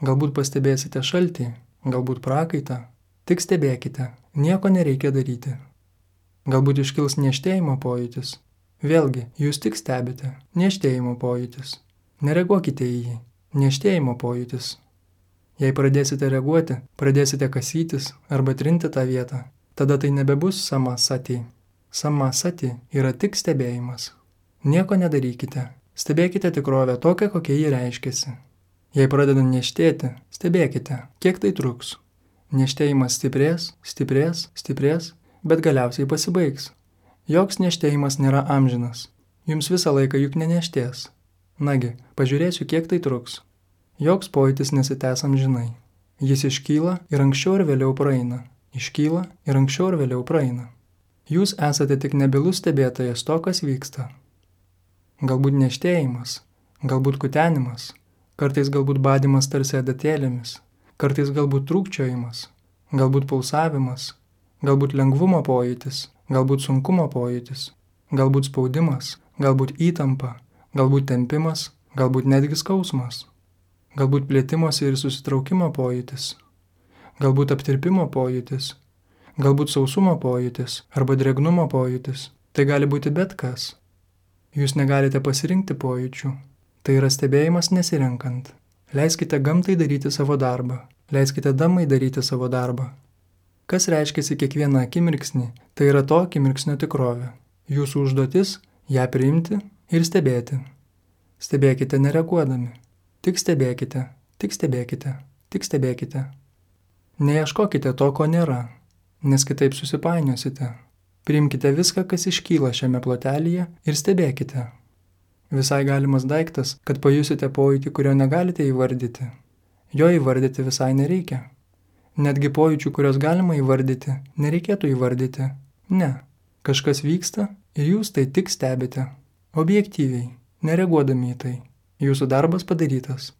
Galbūt pastebėsite šaltį, galbūt prakaitą. Tik stebėkite, nieko nereikia daryti. Galbūt iškils niežtėjimo pojūtis. Vėlgi, jūs tik stebite, niežtėjimo pojūtis. Nereaguokite į jį, niežtėjimo pojūtis. Jei pradėsite reaguoti, pradėsite kasytis arba trinti tą vietą, tada tai nebebus samasati. Samasati yra tik stebėjimas. Nieko nedarykite, stebėkite tikrovę tokią, kokia ji reiškiasi. Jei pradeda niežtėti, stebėkite, kiek tai truks. Niežtėjimas stiprės, stiprės, stiprės, bet galiausiai pasibaigs. Joks niežtėjimas nėra amžinas. Jums visą laiką juk neniežtės. Nagi, pažiūrėsiu, kiek tai truks. Joks pojūtis nesitęs amžinai. Jis iškyla ir anksčiau ir vėliau praeina. Iškyla ir anksčiau ir vėliau praeina. Jūs esate tik nebylus stebėtojas to, kas vyksta. Galbūt niežtėjimas, galbūt kutenimas, kartais galbūt badimas tarsi adatėlėmis, kartais galbūt trūkčiojimas, galbūt pulsavimas, galbūt lengvumo pojūtis, galbūt sunkumo pojūtis, galbūt spaudimas, galbūt įtampa, galbūt tempimas, galbūt netgi skausmas, galbūt plėtimosi ir susitraukimo pojūtis, galbūt aptirpimo pojūtis, galbūt sausumo pojūtis arba drėgnumo pojūtis. Tai gali būti bet kas. Jūs negalite pasirinkti pojūčių. Tai yra stebėjimas nesirenkant. Leiskite gamtai daryti savo darbą. Leiskite damai daryti savo darbą. Kas reiškiasi kiekvieną akimirksnį, tai yra to akimirksnio tikrovė. Jūsų užduotis – ją priimti ir stebėti. Stebėkite nereaguodami. Tik stebėkite, tik stebėkite, tik stebėkite. Neieškokite to, ko nėra, nes kitaip susipainiosite. Priimkite viską, kas iškyla šiame plotelyje ir stebėkite. Visai galimas daiktas, kad pajusite pojūtį, kurio negalite įvardyti. Jo įvardyti visai nereikia. Netgi pojūčių, kurios galima įvardyti, nereikėtų įvardyti. Ne. Kažkas vyksta ir jūs tai tik stebite. Objektyviai, nereaguodami į tai. Jūsų darbas padarytas.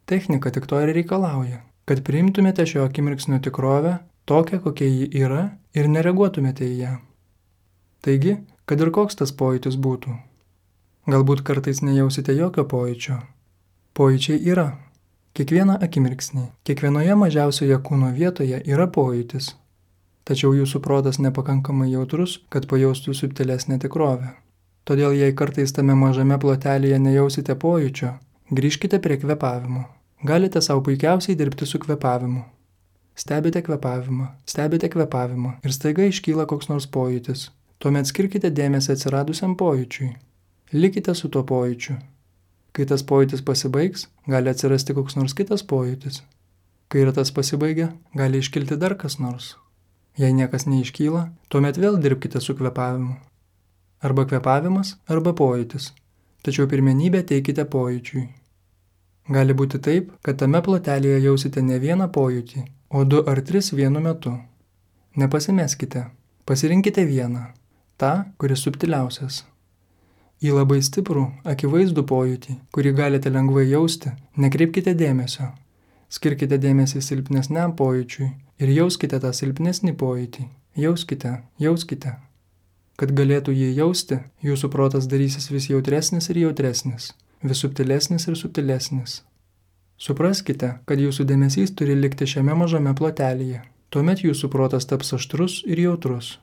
Technika tik to ir reikalauja, kad priimtumėte šio akimirksnio tikrovę, tokią, kokia ji yra, ir nereaguotumėte į ją. Taigi, kad ir koks tas pojūtis būtų. Galbūt kartais nejausite jokio pojūčio. Pojūčiai yra. Kiekvieną akimirksnį, kiekvienoje mažiausioje kūno vietoje yra pojūtis. Tačiau jūsų protas nepakankamai jautrus, kad pajaustų subtilesnę tikrovę. Todėl jei kartais tame mažame plotelėje nejausite pojūčio, grįžkite prie kvėpavimo. Galite savo puikiausiai dirbti su kvėpavimu. Stebite kvėpavimą, stebite kvėpavimą ir staiga iškyla koks nors pojūtis. Tuomet skirkite dėmesį atsiradusiam pojūčiui. Likite su tuo pojūčiu. Kai tas pojūtis pasibaigs, gali atsirasti koks nors kitas pojūtis. Kai ir tas pasibaigia, gali iškilti dar kas nors. Jei niekas neiškyla, tuomet vėl dirbkite su kvėpavimu. Arba kvėpavimas, arba pojūtis. Tačiau pirmenybę teikite pojūčiui. Gali būti taip, kad tame plotelėje jausite ne vieną pojūtį, o du ar tris vienu metu. Nepasimeskite. Pasirinkite vieną. Ta, kuris subtiliausias. Į labai stiprų, akivaizdų pojūtį, kurį galite lengvai jausti, nekreipkite dėmesio. Skirkite dėmesį silpnesniam pojūčiui ir jauskite tą silpnesnį pojūtį. Jauskite, jauskite. Kad galėtų jį jausti, jūsų protas darysis vis jautresnis ir jautresnis, vis subtilesnis ir subtilesnis. Supraskite, kad jūsų dėmesys turi likti šiame mažame plotelėje. Tuomet jūsų protas taps aštrus ir jautrus.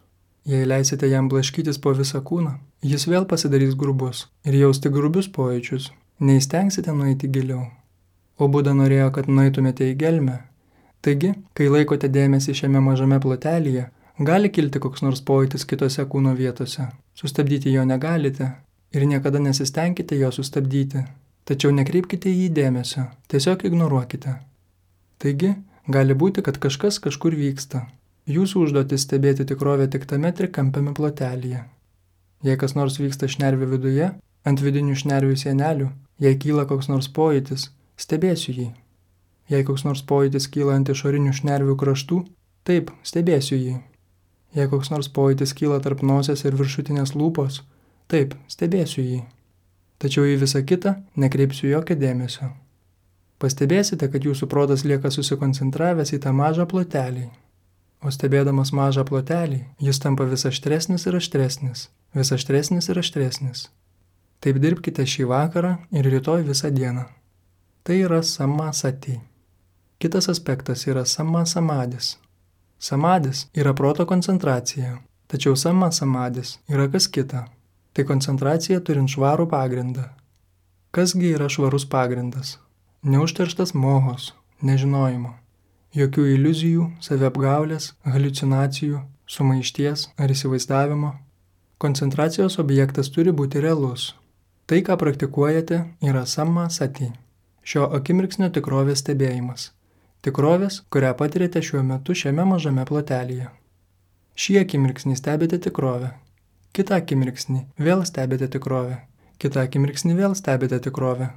Jei leisite jam blaškytis po visą kūną, jis vėl pasidarys grubus ir jausti grubius pojūčius. Neįstengsite nueiti giliau. O Buda norėjo, kad nueitumėte į gelmę. Taigi, kai laikote dėmesį šiame mažame plotelėje, gali kilti koks nors pojūtis kitose kūno vietose. Sustabdyti jo negalite ir niekada nesistengkite jo sustabdyti. Tačiau nekreipkite į jį dėmesio, tiesiog ignoruokite. Taigi, gali būti, kad kažkas kažkur vyksta. Jūsų užduotis stebėti tikrovę tik tame trikampiame plotelėje. Jei kas nors vyksta šnervių viduje, Ant vidinių šnervių sienelių, jei kyla koks nors pojūtis, stebėsiu jį. Jei koks nors pojūtis kyla ant išorinių šnervių kraštų, taip, stebėsiu jį. Jei koks nors pojūtis kyla tarp nosies ir viršutinės lūpos, taip, stebėsiu jį. Tačiau į visą kitą nekreipsiu jokio dėmesio. Pastebėsite, kad jūsų protas lieka susikoncentravęs į tą mažą plotelį. O stebėdamas mažą plotelį, jis tampa vis aštresnis ir aštresnis, vis aštresnis ir aštresnis. Taip dirbkite šį vakarą ir rytoj visą dieną. Tai yra samasati. Kitas aspektas yra samasamadis. Samadis yra proto koncentracija, tačiau samasamadis yra kas kita. Tai koncentracija turint švarų pagrindą. Kasgi yra švarus pagrindas? Neužterštas mohos, nežinojimo. Jokių iliuzijų, saviapgaulės, haliucinacijų, sumaišties ar įsivaizdavimo. Koncentracijos objektas turi būti realus. Tai, ką praktikuojate, yra samasati. Šio akimirksnio tikrovės stebėjimas. Tikrovės, kurią patirėte šiuo metu šiame mažame plotelyje. Šį akimirksnį stebite tikrovę. Kitą akimirksnį vėl stebite tikrovę. Kitą akimirksnį vėl stebite tikrovę.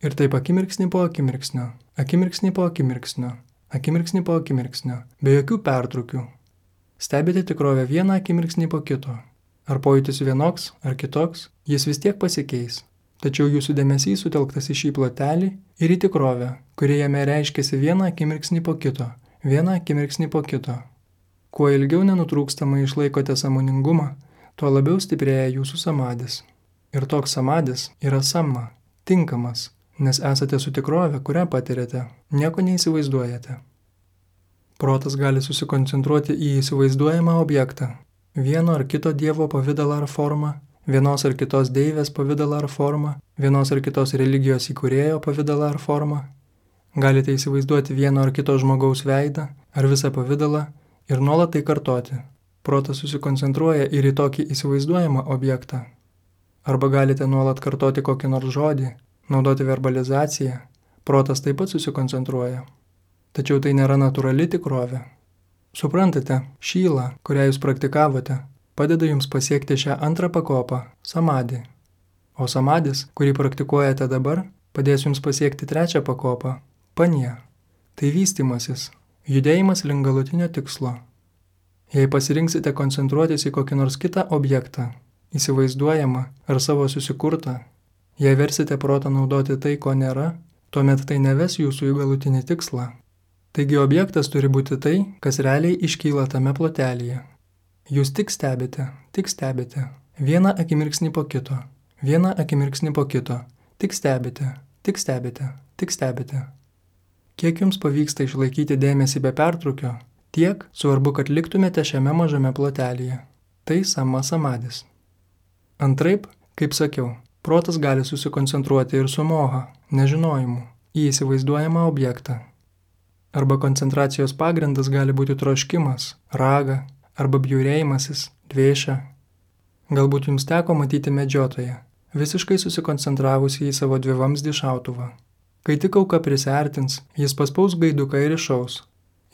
Ir taip akimirksnį po akimirksnio, akimirksnį po akimirksnio, akimirksnį po akimirksnio, be jokių pertraukių. Stebite tikrovę vieną akimirksnį po kito. Ar pojūtis vienoks, ar kitoks, jis vis tiek pasikeis. Tačiau jūsų dėmesys sutelktas į šį plotelį ir į tikrovę, kuri jame reiškiasi vieną akimirksnį po kito, vieną akimirksnį po kito. Kuo ilgiau nenutrūkstamai išlaikote sąmoningumą, tuo labiau stiprėja jūsų samadis. Ir toks samadis yra sama, tinkamas, nes esate su tikrove, kurią patirėte, nieko neįsivaizduojate. Protas gali susikoncentruoti į įsivaizduojamą objektą, vieno ar kito dievo pavidalą ar formą, vienos ar kitos deivės pavidalą ar formą, vienos ar kitos religijos įkūrėjo pavidalą ar formą. Galite įsivaizduoti vieno ar kito žmogaus veidą ar visą pavidalą ir nuolat tai kartoti. Protas susikoncentruoja ir į tokį įsivaizduojamą objektą. Arba galite nuolat kartoti kokį nors žodį, naudoti verbalizaciją, protas taip pat susikoncentruoja. Tačiau tai nėra natūrali tikrovė. Suprantate, šyla, kurią jūs praktikavote, padeda jums pasiekti šią antrą pakopą – samadį. O samadis, kurį praktikuojate dabar, padės jums pasiekti trečią pakopą – panja. Tai vystymasis, judėjimas link galutinio tikslo. Jei pasirinksite koncentruotis į kokį nors kitą objektą, įsivaizduojamą ar savo susikurtą, jei versite protą naudoti tai, ko nėra, tuomet tai neves jūsų į galutinį tikslą. Taigi objektas turi būti tai, kas realiai iškyla tame plotelyje. Jūs tik stebite, tik stebite, vieną akimirksnį po kito, vieną akimirksnį po kito, tik stebite, tik stebite, tik stebite. Kiek jums pavyksta išlaikyti dėmesį be pertrūkio, tiek svarbu, kad liktumėte šiame mažame plotelyje. Tai sama samadis. Antraip, kaip sakiau, protas gali susikoncentruoti ir su moha, nežinojimu, į įsivaizduojamą objektą. Arba koncentracijos pagrindas gali būti troškimas, raga, arba bjaurėjimasis, dvėša. Galbūt jums teko matyti medžiotoją, visiškai susikoncentravusi į savo dvivamzdį šautuvą. Kai tik auka prisiartins, jis paspaus gaiduką ir iššaus.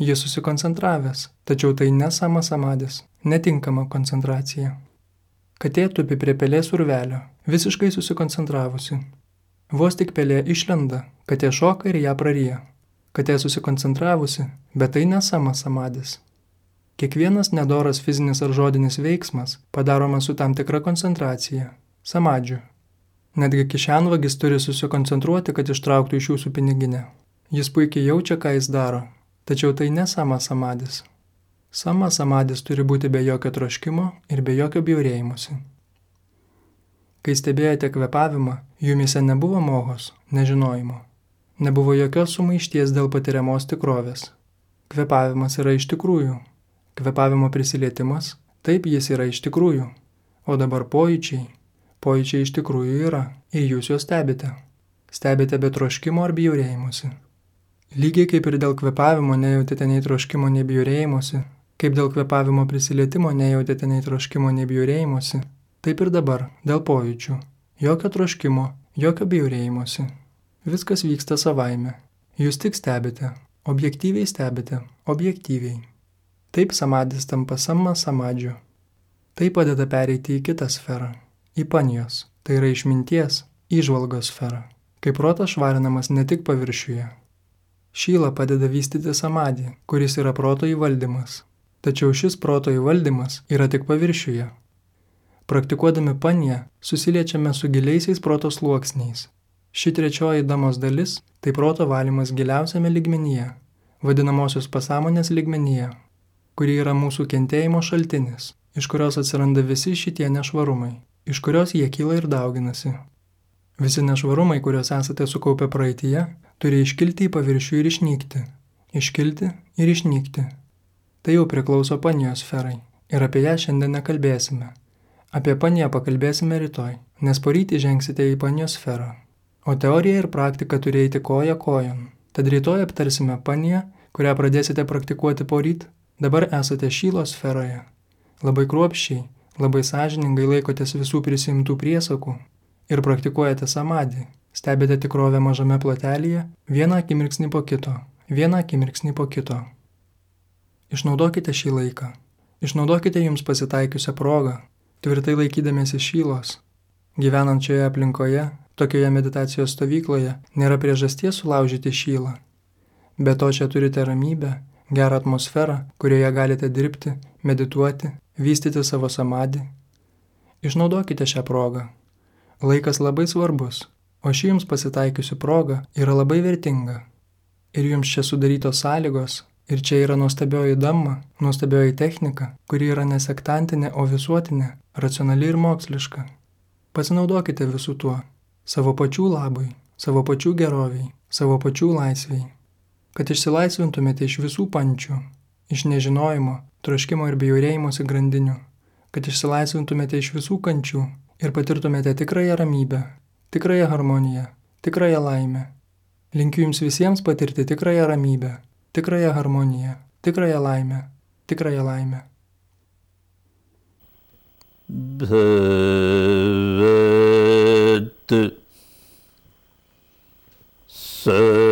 Jis susikoncentravęs, tačiau tai ne sama samadis, netinkama koncentracija. Katė tupi prie pelės urvelio, visiškai susikoncentravusi. Vos tik pelė išlenda, katė šoka ir ją praryja. Katė susikoncentravusi, bet tai ne sama samadis. Kiekvienas nedoras fizinis ar žodinis veiksmas padaromas su tam tikra koncentracija, samadžiu. Netgi kišenvagis turi susikoncentruoti, kad ištrauktų iš jūsų piniginę. Jis puikiai jaučia, ką jis daro, tačiau tai ne sama samadis. Sama samadis turi būti be jokio troškimo ir be jokio bjaurėjimuose. Kai stebėjote kvėpavimą, jumise nebuvo mohos, nežinojimo. Nebuvo jokios sumaišties dėl patiriamos tikrovės. Kvėpavimas yra iš tikrųjų. Kvėpavimo prisilietimas, taip jis yra iš tikrųjų. O dabar pojūčiai. Pojūčiai iš tikrųjų yra, ir jūs juos stebite. Stebite be troškimo ar bjaurėjimuose. Lygiai kaip ir dėl kvėpavimo nejautėte nei troškimo, nei bjaurėjimuose, kaip dėl kvėpavimo prisilietimo nejautėte nei troškimo, nei bjaurėjimuose, taip ir dabar dėl pojūčių. Jokio troškimo, jokio bjaurėjimuose. Viskas vyksta savaime. Jūs tik stebite, objektyviai stebite, objektyviai. Taip samadis tampa sama samadžiu. Tai padeda pereiti į kitą sferą, į panijos, tai yra išminties, įžvalgos sfera, kai protas švarinamas ne tik paviršiuje. Šyla padeda vystyti samadį, kuris yra proto įvaldymas, tačiau šis proto įvaldymas yra tik paviršiuje. Praktikuodami paniją susiliečiame su giliaisiais proto sluoksniais. Ši trečioji damos dalis – tai proto valymas giliausiame lygmenyje, vadinamosios pasąmonės lygmenyje, kuri yra mūsų kentėjimo šaltinis, iš kurios atsiranda visi šitie nešvarumai, iš kurios jie kyla ir dauginasi. Visi nešvarumai, kuriuos esate sukaupę praeityje, turi iškilti į paviršių ir išnykti, iškilti ir išnykti. Tai jau priklauso panijos sferai ir apie ją šiandien nekalbėsime. Apie paniją pakalbėsime rytoj, nes poryt įžengsite į panijos sferą. O teorija ir praktika turi eiti koja kojon. Tad rytoj aptarsime paniją, kurią pradėsite praktikuoti poryt. Dabar esate šylos sferoje. Labai kruopščiai, labai sąžiningai laikotės visų prisimtų priesakų ir praktikuojate samadį. Stebite tikrovę mažame plotelyje, vieną akimirksnį po kito, vieną akimirksnį po kito. Išnaudokite šį laiką. Išnaudokite jums pasitaikiusią progą, tvirtai laikydamėsi šylos. Gyvenant šioje aplinkoje, tokioje meditacijos stovykloje, nėra priežasties sulaužyti šylą. Be to čia turite ramybę, gerą atmosferą, kurioje galite dirbti, medituoti, vystyti savo samadį. Išnaudokite šią progą. Laikas labai svarbus, o ši jums pasitaikiusi proga yra labai vertinga. Ir jums čia sudarytos sąlygos, ir čia yra nuostabioji dhamma, nuostabioji technika, kuri yra nesektantinė, o visuotinė, racionali ir moksliška. Pasinaudokite visų tuo, savo pačių labui, savo pačių geroviai, savo pačių laisviai, kad išsilaisvintumėte iš visų pančių, iš nežinojimo, troškimo ir bjaurėjimosi grandinių, kad išsilaisvintumėte iš visų kančių ir patirtumėte tikrąją ramybę, tikrąją harmoniją, tikrąją laimę. Linkiu jums visiems patirti tikrąją ramybę, tikrąją harmoniją, tikrąją laimę, tikrąją laimę. Bhavat Sarva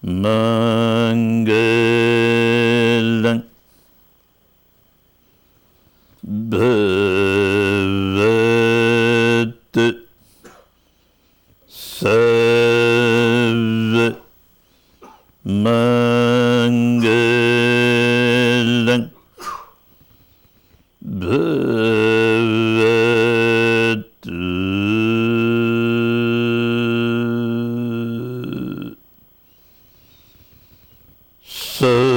Mangalam Bhavat Sarva Mangalam Bhavat Sarva